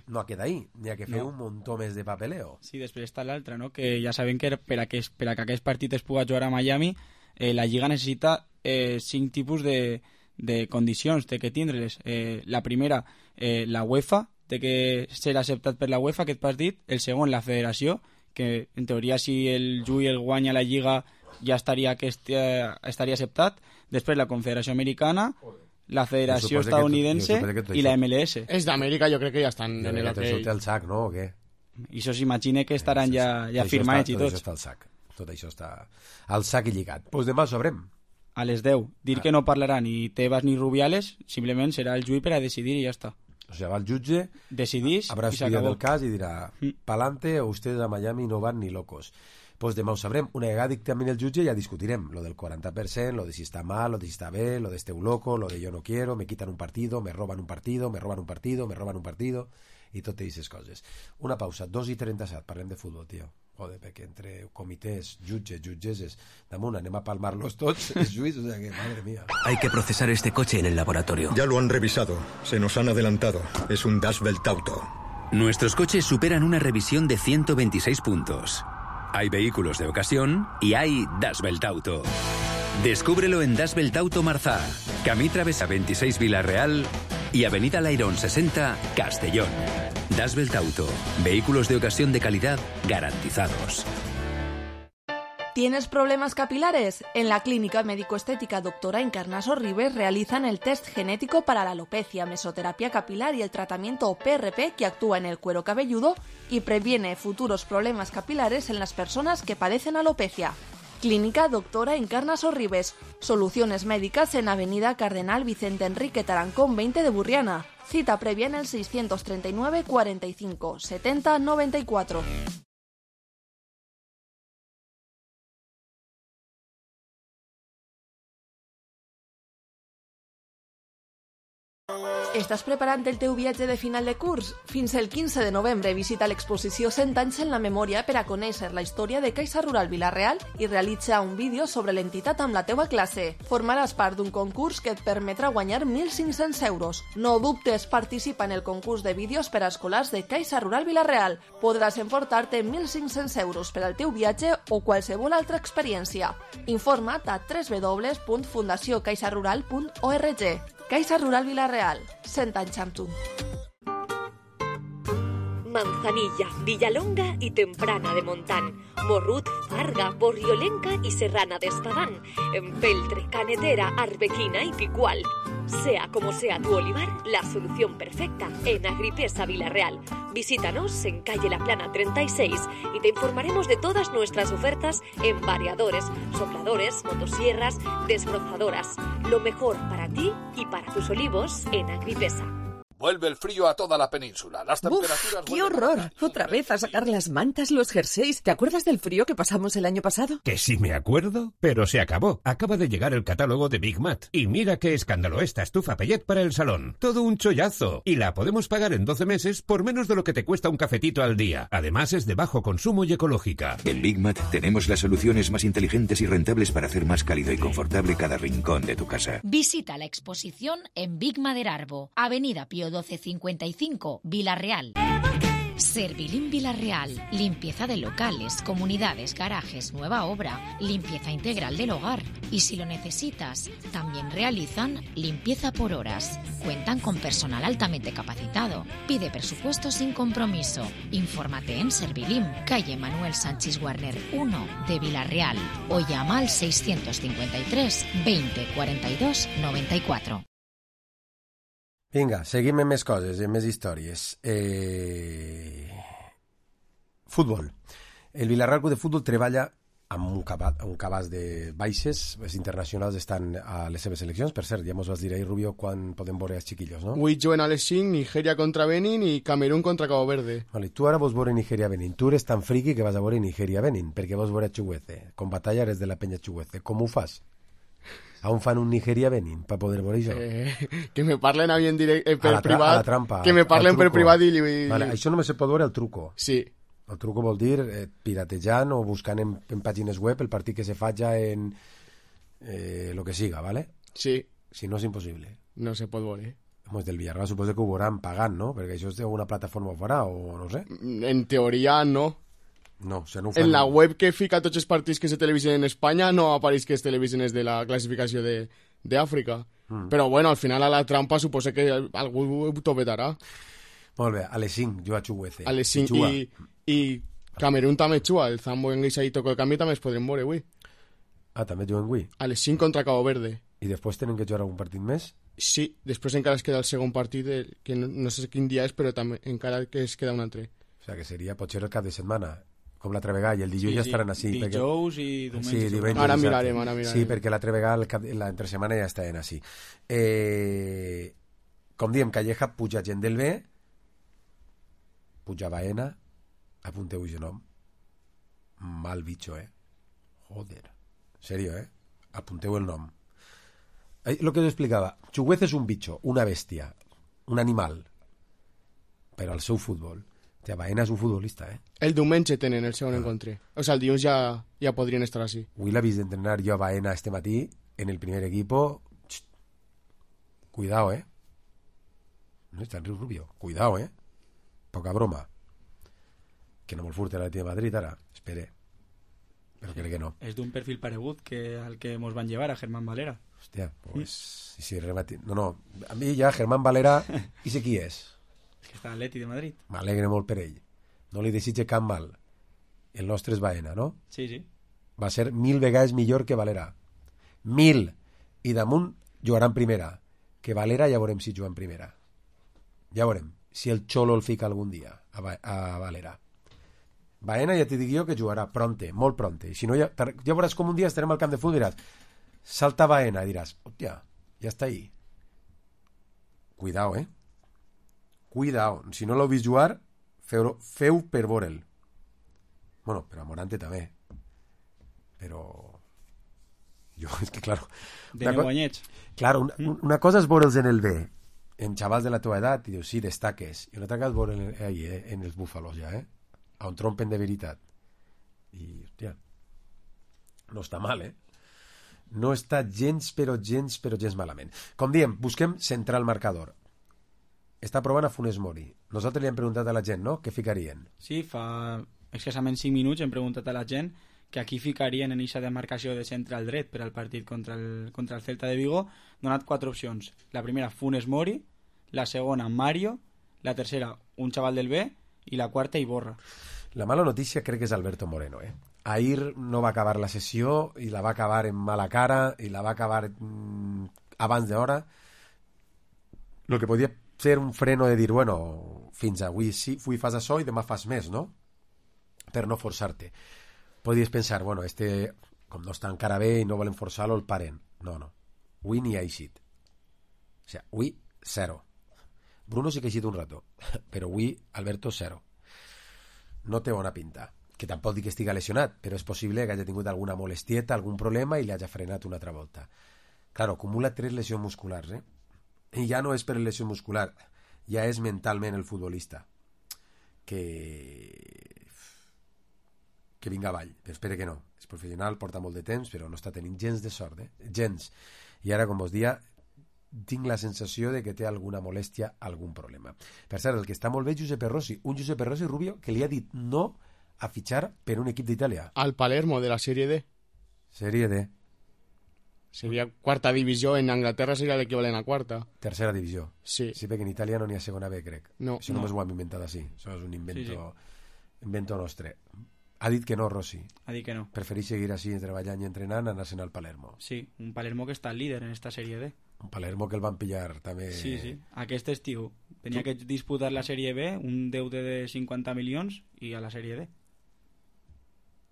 no ha quedat ahí, n'hi ha que fer un muntó més de papeleo. Sí, després està l'altra, no? Que ja sabem que per a que aquest partit es pugui jugar a Miami, la Lliga necessita 5 tipus de condicions, té que tindre-les. La primera, la UEFA, té que ser acceptat per la UEFA aquest partit. El segon, la federació, que en teoria si el Jui el guanya la Lliga ja estaria acceptat. Després la Confederació Americana, la Federació Estadounidense i la MLS. És d'Amèrica, jo crec que ja estan en el hotel. El sac, no? O què? I això s'imagina que estaran ja firmats i tots. Tot això està al sac. Tot això està al sac i lligat. Doncs demà ho sabrem. A les 10. Dir que no parlarà ni Tebas ni Rubiales, simplement serà el Jui per a decidir i ja està. O sigui, va el jutge, decidís, habrá estudiat el cas i dirà pa'lante o ustedes a Miami no van ni locos. Pues demà ho sabrem. Una vegada dictamini el jutge ja discutirem lo del 40%, lo de si està mal, lo de si està bé, lo de esteu loco, lo de yo no quiero, me quitan un partido, me roban un partido, me roban un partido, me roban un partido i totes aquestes coses. Una pausa, 2:37, parlem de futbol, tio. Joder, perquè entre comités, jutges, jutgesses, damunt anem a palmar-los tots, els juís, o sea que, madre mía. Hay que procesar este coche en el laboratorio. Ya lo han revisado, se nos han adelantado. Es un Das Welt Auto. Nuestros coches superan una revisión de 126 puntos. Hay vehículos de ocasión y hay Das Welt Auto. Descúbrelo en Das Welt Auto Marzá, Camí Travesa 26 Vila Real y Avenida Lairón 60 Castellón. Das Belt Auto. Vehículos de ocasión de calidad garantizados. ¿Tienes problemas capilares? En la Clínica Médico-Estética Doctora Encarnaso Ribes realizan el test genético para la alopecia, mesoterapia capilar y el tratamiento PRP que actúa en el cuero cabelludo y previene futuros problemas capilares en las personas que padecen alopecia. Clínica Doctora Encarnaso Ribes. Soluciones médicas en Avenida Cardenal Vicente Enrique Tarancón 20 de Burriana. Cita previa en el 639 45 70 94. Estàs preparant el teu viatge de final de curs? Fins el 15 de novembre visita l'exposició 100 anys en la memòria per a conèixer la història de Caixa Rural Vila-real i realitza un vídeo sobre l'entitat amb la teua classe. Formaràs part d'un concurs que et permetrà guanyar 1.500 euros. No dubtes, participa en el concurs de vídeos per a escolars de Caixa Rural Vila-real. Podràs emportar-te 1.500 euros per al teu viatge o qualsevol altra experiència. Informa't a www.fundaciocaixarural.org. Caixa Rural Vila-real, 100 anys amb tu. Manzanilla, Villalonga y Temprana de Montán, Morrut, Farga, Borriolenca y Serrana de Espadán, Empeltre, Canetera, Arbequina y Picual. Sea como sea tu olivar, la solución perfecta en Agripesa Vila-real. Visítanos en calle La Plana 36 y te informaremos de todas nuestras ofertas en variadores, sopladores, motosierras, desbrozadoras. Lo mejor para ti y para tus olivos en Agripesa. Vuelve el frío a toda la península. Las temperaturas... ¡Qué horror! Otra vez a sacar las mantas, los jerseys. ¿Te acuerdas del frío que pasamos el año pasado? Que sí me acuerdo, pero se acabó. Acaba de llegar el catálogo de Big Mat. Y mira qué escándalo esta estufa Pellet para el salón. Todo un chollazo. Y la podemos pagar en 12 meses por menos de lo que te cuesta un cafetito al día. Además es de bajo consumo y ecológica. En Big Mat tenemos las soluciones más inteligentes y rentables para hacer más cálido y confortable cada rincón de tu casa. Visita la exposición en Big Maderarbo, Avenida Pío 1255, Vila-real. Servilín Vila-real. Limpieza de locales, comunidades, garajes, nueva obra, limpieza integral del hogar. Y si lo necesitas, también realizan limpieza por horas. Cuentan con personal altamente capacitado. Pide presupuesto sin compromiso. Infórmate en Servilín, calle Manuel Sánchez Warner 1 de Vila-real o llama al 653 20 42 94. Vinga, seguim amb més coses, amb més històries. Futbol. El Villarreal Club de Futbol treballa amb un cabàs de baixes. Els internacionals estan a les seves seleccions. Per cert, ja mos vas dir ahir, Rubio, quan podem veure els xiquillos, no? Avui juguen a les 5, Nigeria contra Benin i Camerún contra Cabo Verde. Vale, tu ara vols veure Nigeria-Benin. Tu eres tan friqui que vas a veure Nigeria-Benin, perquè vols veure Chuguece. Com batalla eres de la penya Chuguece. Com ho fas? Aún fan un Nigeria-Benin per poder veure això? Que me parlen a mi en per privat. A la trampa. Que me parlen per privat i... Vale, això només se pot veure al truco. Sí. El truco vol dir piratejant o buscant en pàgines web el partit que se faja en lo que siga, ¿vale? Sí. Si no, és impossible. No se pot veure. Pues del Villarreal suposo que ho veuran pagant, no? Perquè això és una plataforma farà o no sé. En teoria no. No, o sea, no ho fan. En la web que fica tots els partits que se televisen en Espanya no apareix que es televisen des de la classificació d'Àfrica. Però bueno, al final a la trampa suposo que algú ho topetarà. Molt bé, a les 5 juga Chuguece. A les 5 i Camerún també juga. El Zambo en Guisa i Toco de Canvi també es podrem veure avui. Ah, també juguen avui? A les 5 contra Cabo Verde. I després tenen que jugar algun partit més? Sí, després encara es queda el segon partit, que no sé quin dia és, però també encara que es queda un altre. O sea, que seria potser el cap de setmana, com l'altre vegada, i el dilluns ja estaran així. Dijous i diumenge. Sí, diumenge. Ara mirarem. Sí, perquè l'altre vegada, l'entre setmana ja estaven així. Com diem, Calleja puja gent del B, puja Baena, apunteu el nom. Mal bicho, Joder. Serio, apunteu el nom. Lo que us explicava, Chuguece és un bicho, una bèstia, un animal, però al seu futbol. Baena és un futbolista, El diumenge tenen el segon encontre. O sea, el dilluns ja podrien estar així. Avui l'ha vist d'entrenar jo a Baena este matí en el primer equipo. Cuidado, No està en Riu Rubio. Cuidado, Poca broma. Que no vol furtar la tía de Madrid ara. Espere. Però crec que no. És d'un perfil paregut al que mos van llevar a Germán Valera. Hòstia, pues... Sí, no, a mi ja Germán Valera, i sé qui és. És que està l'Atleti de Madrid. M'alegre molt per ell. No li desitge cap mal. El nostre és Baena, no? Sí, sí. Va ser 1000 vegades millor que Valera. 1000! I damunt jugarà en primera. Que Valera ja veurem si juga en primera. Ja veurem si el Xolo el fica algun dia a Valera. Baena ja t'hi dic jo que jugarà pronte, molt pronte. Si no, ja veuràs com un dia estarem al camp de futbol i diràs, salta Baena, i diràs, hòstia, ja està ahí. Cuidao, Cuidao. Si no l'heu vist jugar, feu per veure'l. Bueno, per a Morante també. Però... Jo, és que, claro... Claro, una cosa és veure'ls en el B, en xavals de la teva edat, i dius, sí, destaques. I una altra cosa és veure'ls ahí, en els búfalos, ja, on trompen de veritat. I, hòstia, no està mal, No està gens malament. Com diem, busquem centrar el marcador. Està provant a Funes Mori. Nosaltres li hem preguntat a la gent, no?, què ficarien. Sí, fa escassament 5 minuts hem preguntat a la gent que aquí ficarien en eixa demarcació de centre al dret per al partit contra el Celta de Vigo. Donat 4 opcions. La primera, Funes Mori. La segona, Mario. La tercera, un xaval del B. I la quarta, Iborra. La mala notícia crec que és Alberto Moreno, Ahir no va acabar la sessió i la va acabar en mala cara i la va acabar abans d'hora. Lo que podia ser un freno de dir, bueno, fins avui sí, avui fas això i demà fas més, no? Per no forçar-te. Podies pensar, bueno, com no està encara bé i no volen forçar-lo, el paren. No. Avui ni ha eixit. O sigui, avui, 0. Bruno sí que ha eixit un rato, però avui, Alberto, 0. No té bona pinta. Que tampoc dic que estigui lesionat, però és possible que hagi tingut alguna molestieta, algun problema i li hagi frenat una altra volta. Claro, acumula 3 lesions musculars, I ja no és per lesió muscular, ja és mentalment el futbolista. Que vinga avall, però espero que no. És professional, porta molt de temps, però no està tenint gens de sort, gens. I ara, com us dia, tinc la sensació de que té alguna molèstia, algun problema. Per cert, el que està molt bé, Giuseppe Rossi, un Giuseppe Rossi Rubio que li ha dit no a fitxar per un equip d'Itàlia. Al Palermo, de la Serie D. Serie D. Seria quarta divisió, en Anglaterra seria l'equivalent a quarta. Tercera divisió. Sí. Sí, perquè en Itàlia no n'hi ha segona B, crec. No. Això només ho hem inventat així. Això és un invento nostre. Ha dit que no, Rossi. Ha dit que no. Prefereix seguir així, treballant i entrenant, anar-se'n al Palermo. Sí, un Palermo que està líder en esta Serie D. Un Palermo que el van pillar també... Sí. Aquest estiu tenia que disputar la Serie B, un deute de 50 milions, i a la Serie D.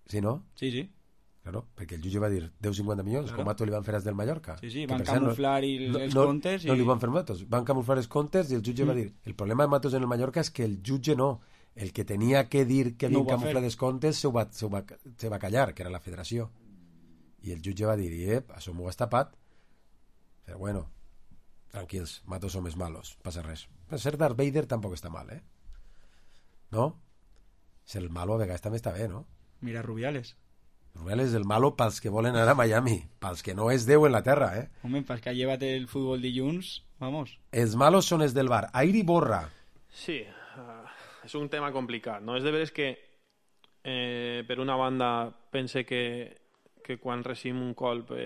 Sí, no? Sí. Claro, perquè el jutge va dir 10-50 milions, com a tu li van fer als del Mallorca. Sí, van camuflar els comptes. No li van fer Matos, van camuflar els comptes i el jutge va dir... El problema de Matos en el Mallorca és que el jutge no. El que tenia que dir que havien camuflat els comptes se va callar, que era la federació. I el jutge va dir, això m'ho has tapat. Però bueno, tranquils, Matos som els malos, passa res. Per ser Darth Vader tampoc està mal, No? Ser el malo a vegades també està bé, no? Mira Rubiales. Rubiales el malo pels que volen anar a Miami, pels que no és Déu en la terra, Home, pels que llevat el futbol dilluns, vamos. Els malos són els del bar. Aire i Borra. Sí, és un tema complicat, no? És de veres que per una banda pense que quan recibim un colp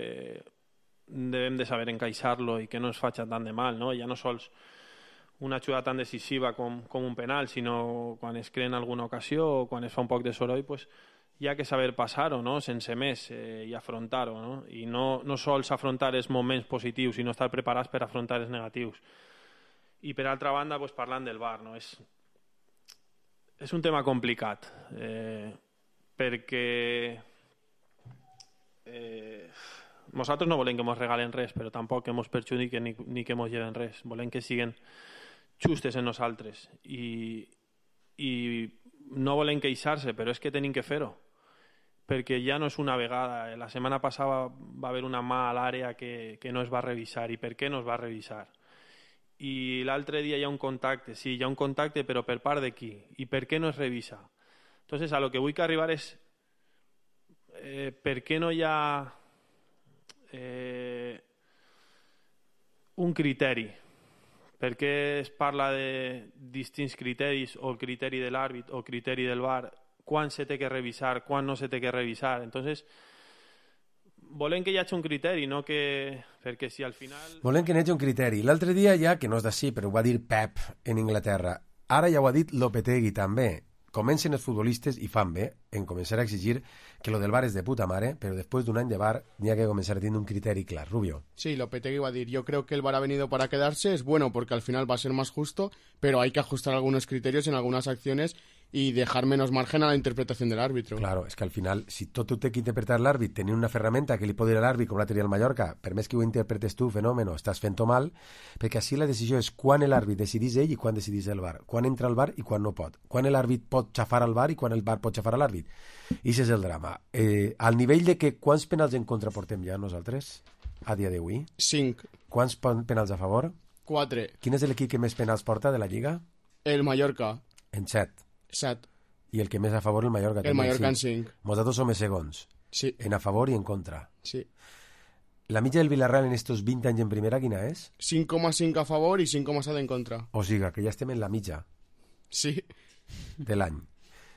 devem de saber encaixar-lo i que no ens faci tant de mal, no? Ja no sols una jugada tan decisiva com un penal, sinó quan es crea en alguna ocasió o quan es fa un poc de soroll, pues, hi ha que saber passar-ho, no? Sense més, i afrontar-ho, no? I no sols afrontar els moments positius, sinó estar preparats per afrontar els negatius. I per altra banda, pues, parlant del VAR, no? És un tema complicat, perquè nosaltres no volem que ens regalen res, però tampoc que ens perjudiquen ni que ens lleven res. Volem que siguin justes en nosaltres i no volem queixar-se, però és que tenim que fer-ho, perquè ja no és una vegada. La setmana passada va haver una mà a l'àrea que no es va revisar. I per què no es va revisar? I l'altre dia hi ha un contacte. Sí, hi ha un contacte, però per part de qui? I per què no es revisa? Entonces, a lo que vull que arribar és per què no hi ha un criteri? Per què es parla de distints criteris, o el criteri de l'àrbit o el criteri del VAR? Quan se té que revisar, quan no se té que revisar? Entonces, volem que hi hagi un criteri, no que... Perquè si al final... Volem que hi hagi un criteri. L'altre dia ja, que no és d'ací, però ho va dir Pep en Inglaterra, ara ja ho ha dit Lopetegui també. Comencen els futbolistes i fan bé en començar a exigir que lo del VAR és de puta mare, però després d'un any de VAR n'hi ha que començar a tenir un criteri clar. Rubio. Sí, Lopetegui va a decir, yo creo que el VAR ha venido para quedarse, es bueno porque al final va a ser más justo, pero hay que ajustar algunos criterios en algunas acciones y dejar menos margen a la interpretación del árbitro. Claro, és que al final, si tot ho té que interpretar l'àrbit, tenir una ferramenta que li pot dir a l'àrbit com la tenia el Mallorca, per més que ho interpretes tu, fenòmeno, estàs fent-ho mal, perquè així la decisió és quan l'àrbit decidís ell i quan decidís el VAR, quan entra el VAR i quan no pot, quan l'àrbit pot xafar al VAR i quan el VAR pot xafar a l'àrbit. I això és el drama. Al nivell de que quants penals en contra portem ja nosaltres, a dia d'avui? 5. Quants penals a favor? 4. Quin és l'equip que més penals porta de la Lliga? El Mallorca. En 7. 7. I el que més a favor el Mallorca. El Mallorca en 5. Nosaltres som segons. Sí. En a favor i en contra. Sí. La mitja del Villarreal en estos 20 anys en primera, quina és? 5,5 a favor i 5,7 en contra. O sigui, que ja estem en la mitja. Sí. De l'any.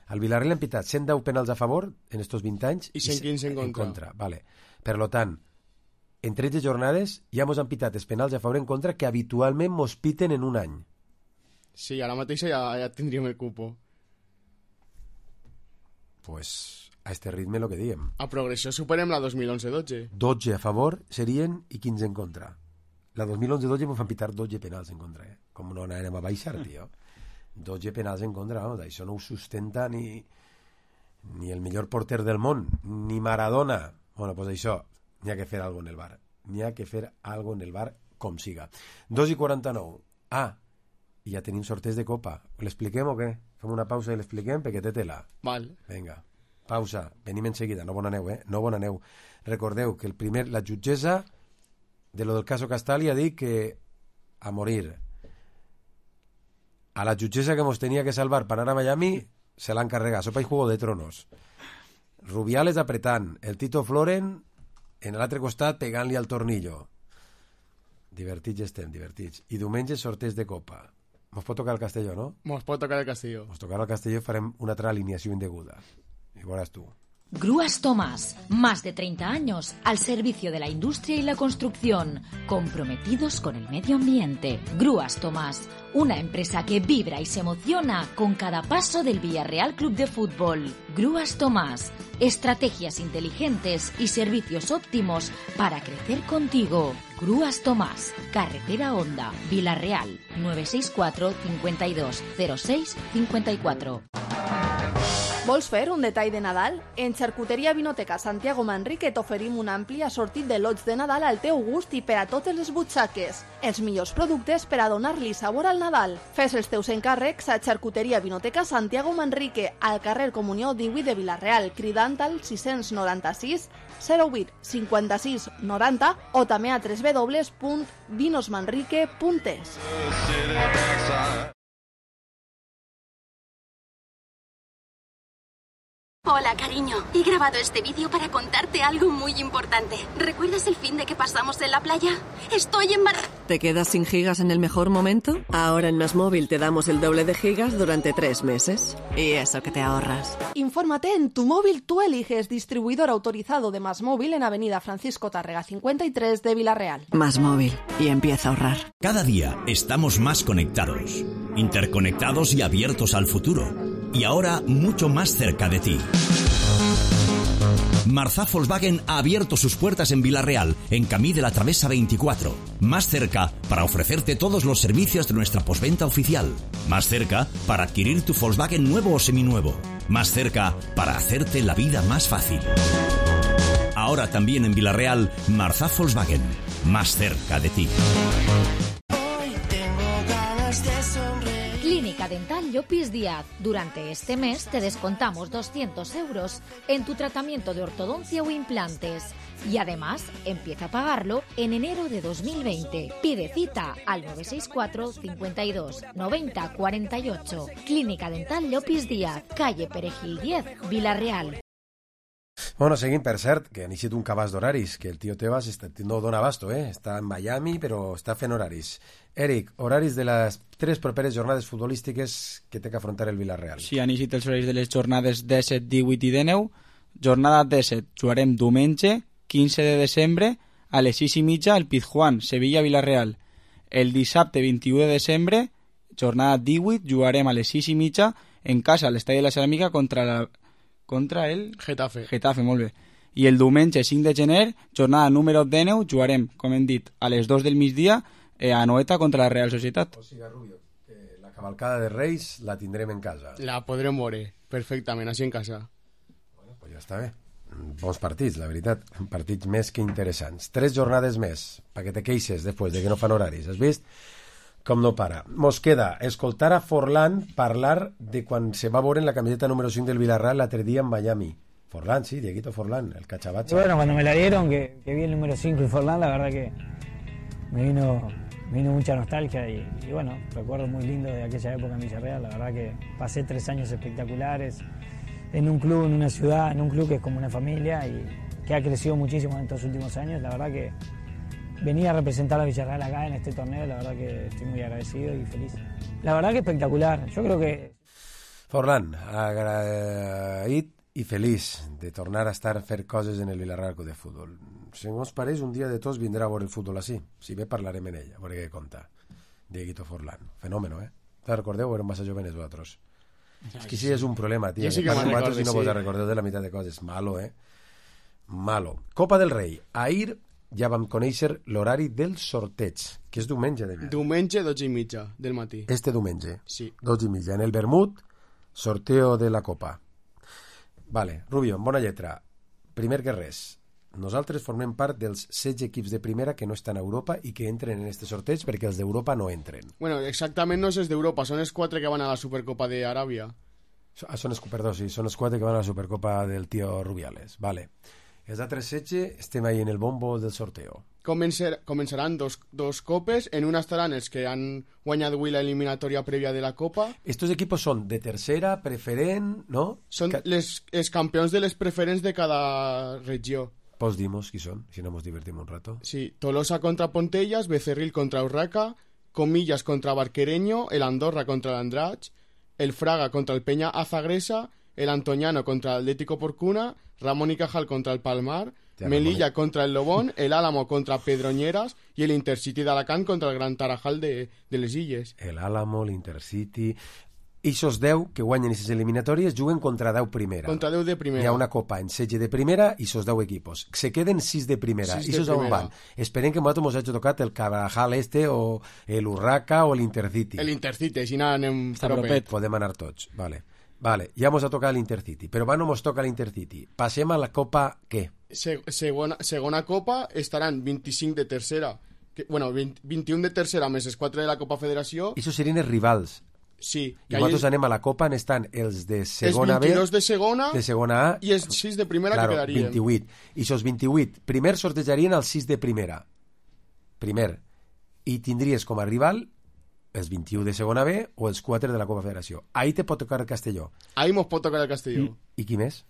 Al Villarreal hem pitat 110 penals a favor en estos 20 anys i 115 en contra. Vale. Per lo tant, en 13 jornades ja mos han pitat els penals a favor en contra que habitualment mos piten en un any. Sí, ara mateix ja tindríem el cupo. Pues a este ritme lo que diem. A progressió superem la 2011-12. 12 a favor serien i 15 en contra. La 2011-12 mos van pitar 12 penals en contra, Com no anàrem a baixar, tio. 12 penals en contra, vamos, això no ho sustenta ni el millor porter del món, ni Maradona. Bueno, pues això, n'hi ha que fer alguna en el VAR. N'hi ha que fer alguna en el VAR com siga. 2:49. I ja tenim sorteig de Copa. L'expliquem o què? Fem una pausa i l'expliquem perquè té tela. Val. Vinga, pausa. Venim en seguida. No bon aneu, No bon aneu. Recordeu que la jutgessa de lo del caso Castali ha dit que a morir. A la jutgessa que mos tenia que salvar per anar a Miami se l'han carregat. Sopa i Juego de Tronos. Rubiales apretant. El Tito Floren en l'altre costat pegant-li al tornillo. Divertits estem, divertits. I diumenge sorteig de Copa. Mos pot tocar el Castelló, ¿no? Mos pot tocar el Castelló. Mos tocarà el Castelló i farem una altra alineació indeguda. I veuràs tu. Grúas Tomás, más de 30 años al servicio de la industria y la construcción, comprometidos con el medio ambiente. Grúas Tomás, una empresa que vibra y se emociona con cada paso del Villarreal Club de Fútbol. Grúas Tomás, estrategias inteligentes y servicios óptimos para crecer contigo. Grúas Tomás, Carretera Honda, Villarreal, 964 52 06 54. Vols fer un detall de Nadal? En Xarcuteria Vinoteca Santiago Manrique t'oferim un ampli assortit de lots de Nadal al teu gust i per a totes les butxaques. Els millors productes per a donar-li sabor al Nadal. Fes els teus encàrrecs a Xarcuteria Vinoteca Santiago Manrique, al carrer Comunió 18 de Vilareal, cridant al 696 08 56 90 o també a www.vinosmanrique.es. Hola, cariño. He grabado este vídeo para contarte algo muy importante. ¿Recuerdas el fin de que pasamos en la playa? Estoy embarazada. ¿Te quedas sin gigas en el mejor momento? Ahora en MásMóvil te damos el doble de gigas durante 3 meses. Y eso que te ahorras. Infórmate en Tu Móvil Tú Eliges, distribuidor autorizado de MásMóvil en Avenida Francisco Tárrega 53 de Vilareal. MásMóvil. Y empieza a ahorrar. Cada día estamos más conectados, interconectados y abiertos al futuro. Y ahora mucho más cerca de ti. Marzá Volkswagen ha abierto sus puertas en Vilareal, en Camí de la Travesa 24. Más cerca para ofrecerte todos los servicios de nuestra postventa oficial. Más cerca para adquirir tu Volkswagen nuevo o seminuevo. Más cerca para hacerte la vida más fácil. Ahora también en Vilareal, Marzá Volkswagen. Más cerca de ti. Clínica Dental Llopis Díaz. Durante este mes te descontamos 200 euros en tu tratamiento de ortodoncia o implantes. Y además, empieza a pagarlo en enero de 2020. Pide cita al 964 52 90 48. Clínica Dental Llopis Díaz, calle Perejil 10, Vilareal. Bueno, seguim, per cert, que han eixit un cabàs d'horaris, que el tio Tebas no dona abasto, està en Miami, però està fent horaris. Eric, horaris de les 3 properes jornades futbolístiques que té que afrontar el Villarreal. Sí, han eixit els horaris de les jornades 17, 18 i 19. Jornada 17, jugarem diumenge, 15 de desembre, a les 6:30 al Pizjuán, Sevilla-Villarreal. El dissabte 21 de desembre jornada 18, jugarem a les 6:30 en casa a l'Estadi de la Ceràmica contra el Getafe, molt bé. I el diumenge 5 de gener, jornada número 19, jugarem, com hem dit, a les 2 del migdia a Anoeta contra la Real Societat. O sigui, Rubio, la cavalcada de Reis la tindrem en casa. La podrem veure perfectament, així en casa. Bueno, pues ja està bé. Bons partits, la veritat. Partits més que interessants. 3 jornades més, perquè te queixes després de que no fan horaris. Has vist com no para? Mos queda escoltar a Forlán parlar de quan se va veure en la camiseta número 5 del Villarreal l'altre dia en Miami. Forlán, sí, Dieguito Forlán, el cachabacha. Bueno, cuando me la dieron, que vi el número 5 y Forlán, la verdad que me vino mucha nostalgia y bueno, recuerdo muy lindo de aquella época en Villarreal. La verdad que pasé 3 años espectaculares en un club, en una ciudad, en un club que es como una familia y que ha crecido muchísimo en estos últimos años. La verdad que venir a representar a Villarreal acá en este torneo, la verdad que estoy muy agradecido y feliz. La verdad que espectacular. Yo creo que... Forlán, agraït i feliç de tornar a estar a fer coses en el Villarreal Club de Futbol. Si no us pareix, un dia de tots vindrà a veure el futbol així. Si bé parlarem en ell, a veure què conta. Dieguito Forlán. Fenòmeno, eh? Te recordeu? Érem massa jovenes vosaltres. És que sí, és un problema, tio. Sí que vosaltres no vos recordeu de la meitat de coses. Malo, eh? Malo. Copa del Rei. Ahir ja vam conèixer l'horari del sorteig, que és diumenge de Diumenge, 12:30 del matí. Este diumenge. Sí. 12:30. En el vermut, sorteo de la Copa. Vale, Rubio, en bona lletra. Primer que res, nosaltres formem part dels 16 equips de primera que no estan a Europa i que entren en este sorteig perquè els d'Europa no entren. Bueno, exactament no és els d'Europa, són els 4 que van a la Supercopa d'Aràbia. Perdó, sí, són els 4 que van a la Supercopa del tio Rubiales. Vale. Els altres 16 estem ahí en el bombo del sorteo. Començaran dos copes, en una estaran els que han guanyat avui la eliminatòria prèvia de la Copa. Estos equipos són de tercera, preferent, ¿no? Són els campions de les preferents de cada regió. Pues dimos qui són, si no nos divertim un rato. Sí, Tolosa contra Pontellas, Becerril contra Urraca, Comillas contra Barquereño, el Andorra contra el Andratx, el Fraga contra el Peña Azagresa, el Antoñano contra el Atlético Porcuna, Ramón y Cajal contra el Palmar, Melilla contra el Lobón, el Álamo contra Pedroñeras y el Intercity de Alacant contra el Gran Tarajal de les Illes. El Álamo, l'Intercity... Ixos 10 que guanyen aquestes eliminatòries juguen contra 10 primera. Contra 10 de primera. Hi ha una copa en 16 de primera i ixos 10 equipos. Se queden 6 de primera. Ixos on van? Esperem que nosaltres ens hagi tocat el Carajal o el Urraca o l'Intercity. L'Intercity, així anem propet. Podem anar tots. Vale, ja ens ha tocat l'Intercity. Però no ens toca l'Intercity. Passem a la copa què? Segona copa estaran 25 de tercera. 21 de tercera més els 4 de la Copa Federació. Ixos serien els rivals. Sí. I nosaltres anem a la Copa, estan els de segona B, els 22 de segona A i els 6 de primera, que quedarien 28. I els 28 primer sortejarien els 6 de primera i tindries com a rival els 21 de segona B o els 4 de la Copa Federació. Ahí te pot tocar el Castelló. Ahí mos pot tocar el Castelló. I qui més?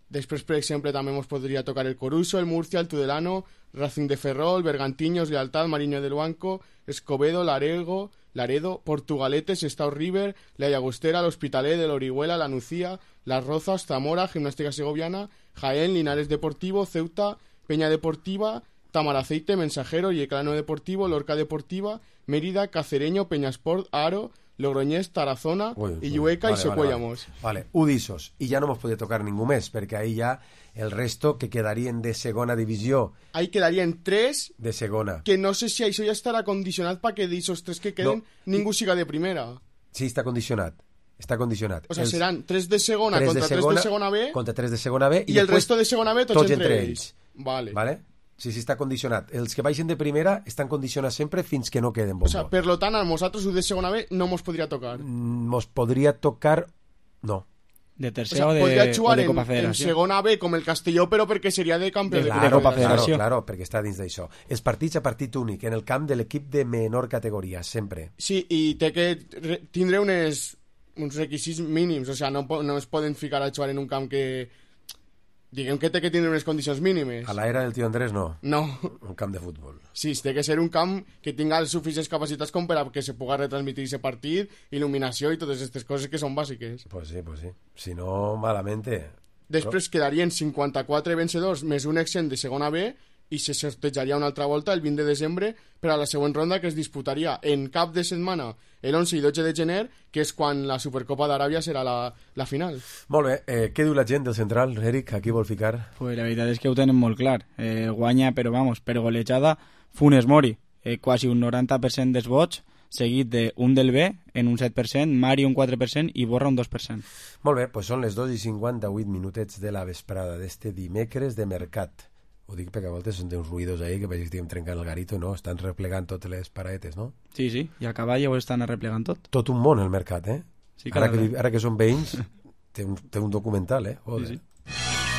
Després, per exemple, també mos podria tocar el Coruso, el Murcia, el Tudelano, Racing de Ferrol, Bergantiños, Lealtad, Mariño del Banco, Escobedo, Laredo, Portugaletes, Estao River, La Llagostera, el Hospitalet, el Orihuela, la Nucía, Las Rozas, Zamora, Gimnástica Segoviana, Jaén, Linares Deportivo, Ceuta, Peña Deportiva, Tamaraceite, Mensajero, Yeclano Deportivo, Lorca Deportiva, Mérida, Cacereño, Peñasport, Aro, Logroñés, Tarazona, Illueca i Secuellamos. Vale, Udissos. I ja no mos podria tocar ningú més, perquè ahí ja el resto que quedarien de segona divisió. Ahí quedarien 3 de segona. Que no sé si això ja estarà condicionat perquè d'aixos 3 que queden ningú siga de primera. Sí, està condicionat. Està condicionat. O sea, seran 3 de segona contra 3 de segona B contra 3 de segona B i el resto de segona B tots entre ells. Vale. Sí, està condicionat. Els que baixen de primera estan condicionats sempre fins que no queden bombo. O sea, per lo tant, a nosaltres de segona B no mos podria tocar. Mos podria tocar... No. De tercera o de Copa Federació. En segona B com el Castelló, però perquè seria de campió de Copa Federació. Claro, perquè està dins d'això. Els partits a partit únic, en el camp de l'equip de menor categoria, sempre. Sí, i té que tindre uns requisits mínims, o sea, no es poden ficar a jugar en un camp que... Diguem que té que tindre unes condicions mínimes. A l'era del tio Andrés no. No. Un camp de futbol. Sí, té que ser un camp que tinga les suficients capacitats com per a que se puga retransmitir aquest partit, il·luminació i totes aquestes coses que són bàsiques. Pues sí. Si no, malamente. Després quedarien 54 vencedors més un exempt de segona B i se sortejaria una altra volta el 20 de desembre per a la següent ronda, que es disputaria en cap de setmana el 11 i 12 de gener, que és quan la Supercopa d'Aràbia serà la final. Molt bé, què diu la gent del central, Eric? A qui vol ficar? Pues la veritat és que ho tenen molt clar. Guanya, però vamos, per golejada, Funes Mori, quasi un 90% dels vots, seguit d'un del B en un 7%, Mari un 4% i Borra un 2%. Molt bé, doncs són les 2:58 minutets de la vesprada d'este dimecres de mercat. Ho dic perquè a voltes són uns ruïdos ahí que veig que estem trencant el garito, no? Estan replegant totes les paraetes, no? Sí, i a cavall ho estan arreplegant tot. Tot un món el mercat, eh? Sí, ara que són veïns, té un documental, eh? Sí.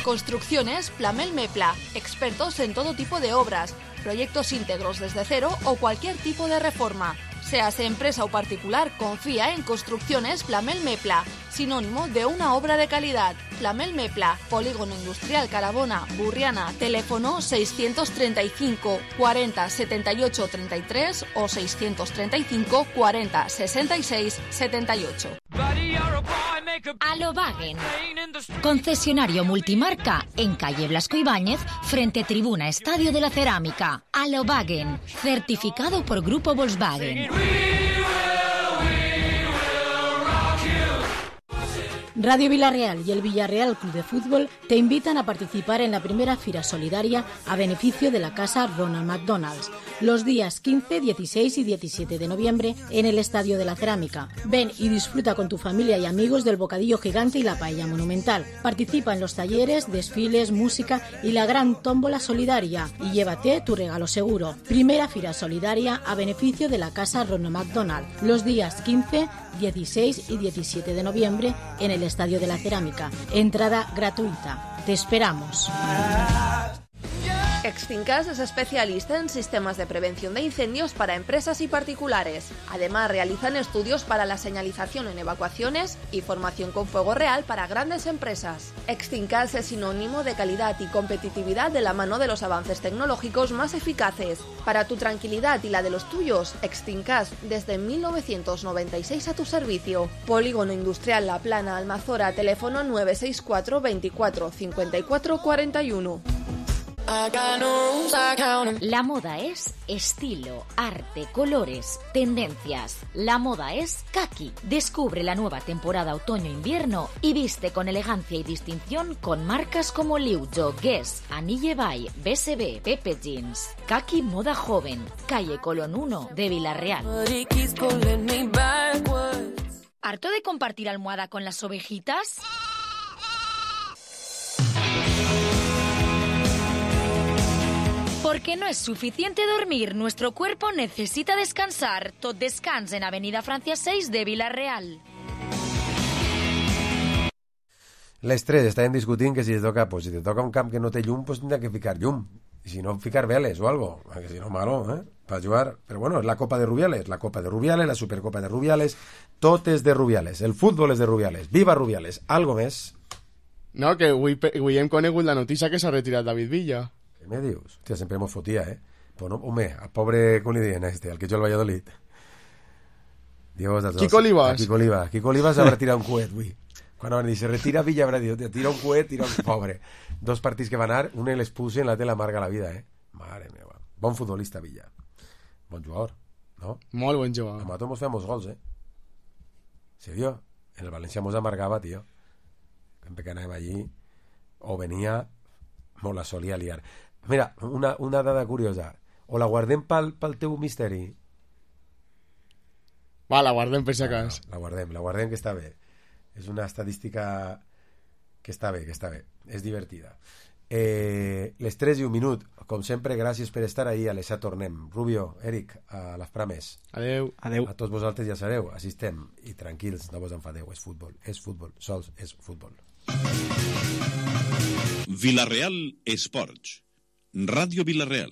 Construcciones Plamel Mepla, expertos en todo tipo de obras, proyectos íntegros desde cero o cualquier tipo de reforma. Seas empresa o particular, confía en Construcciones Plamel Mepla, sinónimo de una obra de calidad. Plamel Mepla, Polígono Industrial Carabona, Burriana, teléfono 635 40 78 33 o 635 40 66 78. Alobagen, concesionario multimarca en calle Blasco Ibáñez, frente Tribuna Estadio de la Cerámica. Alobagen, certificado por Grupo Volkswagen. Radio Villarreal y el Villarreal Club de Fútbol te invitan a participar en la primera Fira Solidaria a beneficio de la Casa Ronald McDonald's, los días 15, 16 y 17 de noviembre en el Estadio de la Cerámica. Ven y disfruta con tu familia y amigos del bocadillo gigante y la paella monumental. Participa en los talleres, desfiles, música y la gran tómbola solidaria y llévate tu regalo seguro. Primera Fira Solidaria a beneficio de la Casa Ronald McDonald, los días 15, 16 y 17 de noviembre en el Estadio de la Cerámica. Entrada gratuita. Te esperamos. Extincas es especialista en sistemas de prevención de incendios para empresas y particulares. Además, realizan estudios para la señalización en evacuaciones y formación con fuego real para grandes empresas. Extincas es sinónimo de calidad y competitividad de la mano de los avances tecnológicos más eficaces. Para tu tranquilidad y la de los tuyos, Extincas desde 1996 a tu servicio. Polígono Industrial La Plana, Almazora, teléfono 964 24 54 41. La moda es estilo, arte, colores, tendencias. La moda es Kaki. Descubre la nueva temporada otoño-invierno y viste con elegancia y distinción con marcas como Liujo, Guess, Anille Bay, BSB, Pepe Jeans. Kaki Moda Joven, calle Colón 1 de Villarreal. ¿Harto de compartir almohada con las ovejitas? Porque no es suficiente dormir, nuestro cuerpo necesita descansar. Tot descans en Avenida Francia 6 de Villarreal. Les tres estaven discutint que si te toca un camp que no té llum, pues tindrà que ficar llum. I si no, ficar veles o algo. Que si no, malo, per jugar. Però bueno, és la Copa de Rubiales, la Supercopa de Rubiales, tot és de Rubiales. El futbol és de Rubiales. Viva Rubiales. Algo més? No, que avui hem conegut la notícia que s'ha retirat David Villa. Què me dius? Hòstia, sempre m'ho fotia, Pues no, home, al pobre, com li diuen al que jo al Valladolid? Dios, Kiko Olivas. Kiko Olivas habrà tirat un coet, avui. Quan van dir, se retira Villa, habrà dit, tira un coet, pobre. 2 partits que van anar, un les puse en la tela amarga la vida, Mare meva. Bon futbolista, Villa. Bon jugador, no? Molt bon jugador. A Mato mos fem molts gols, Serio? En el València mos amargava, tio. Sempre que anàvem allí, o venia, mos la solia liar. Mira, una dada curiosa. O la guardem pel teu misteri? Va, la guardem per si acas. La guardem, que està bé. És una estadística que està bé. És divertida. Les 3:01. Com sempre, gràcies per estar ahí. A les 7 tornem. Rubio, Eric, a les prames. Adeu. A tots vosaltres ja sabeu. Així estem. I tranquils, no vos enfadeu. És futbol. Sols és futbol. Villarreal Esports. Radio Villarreal.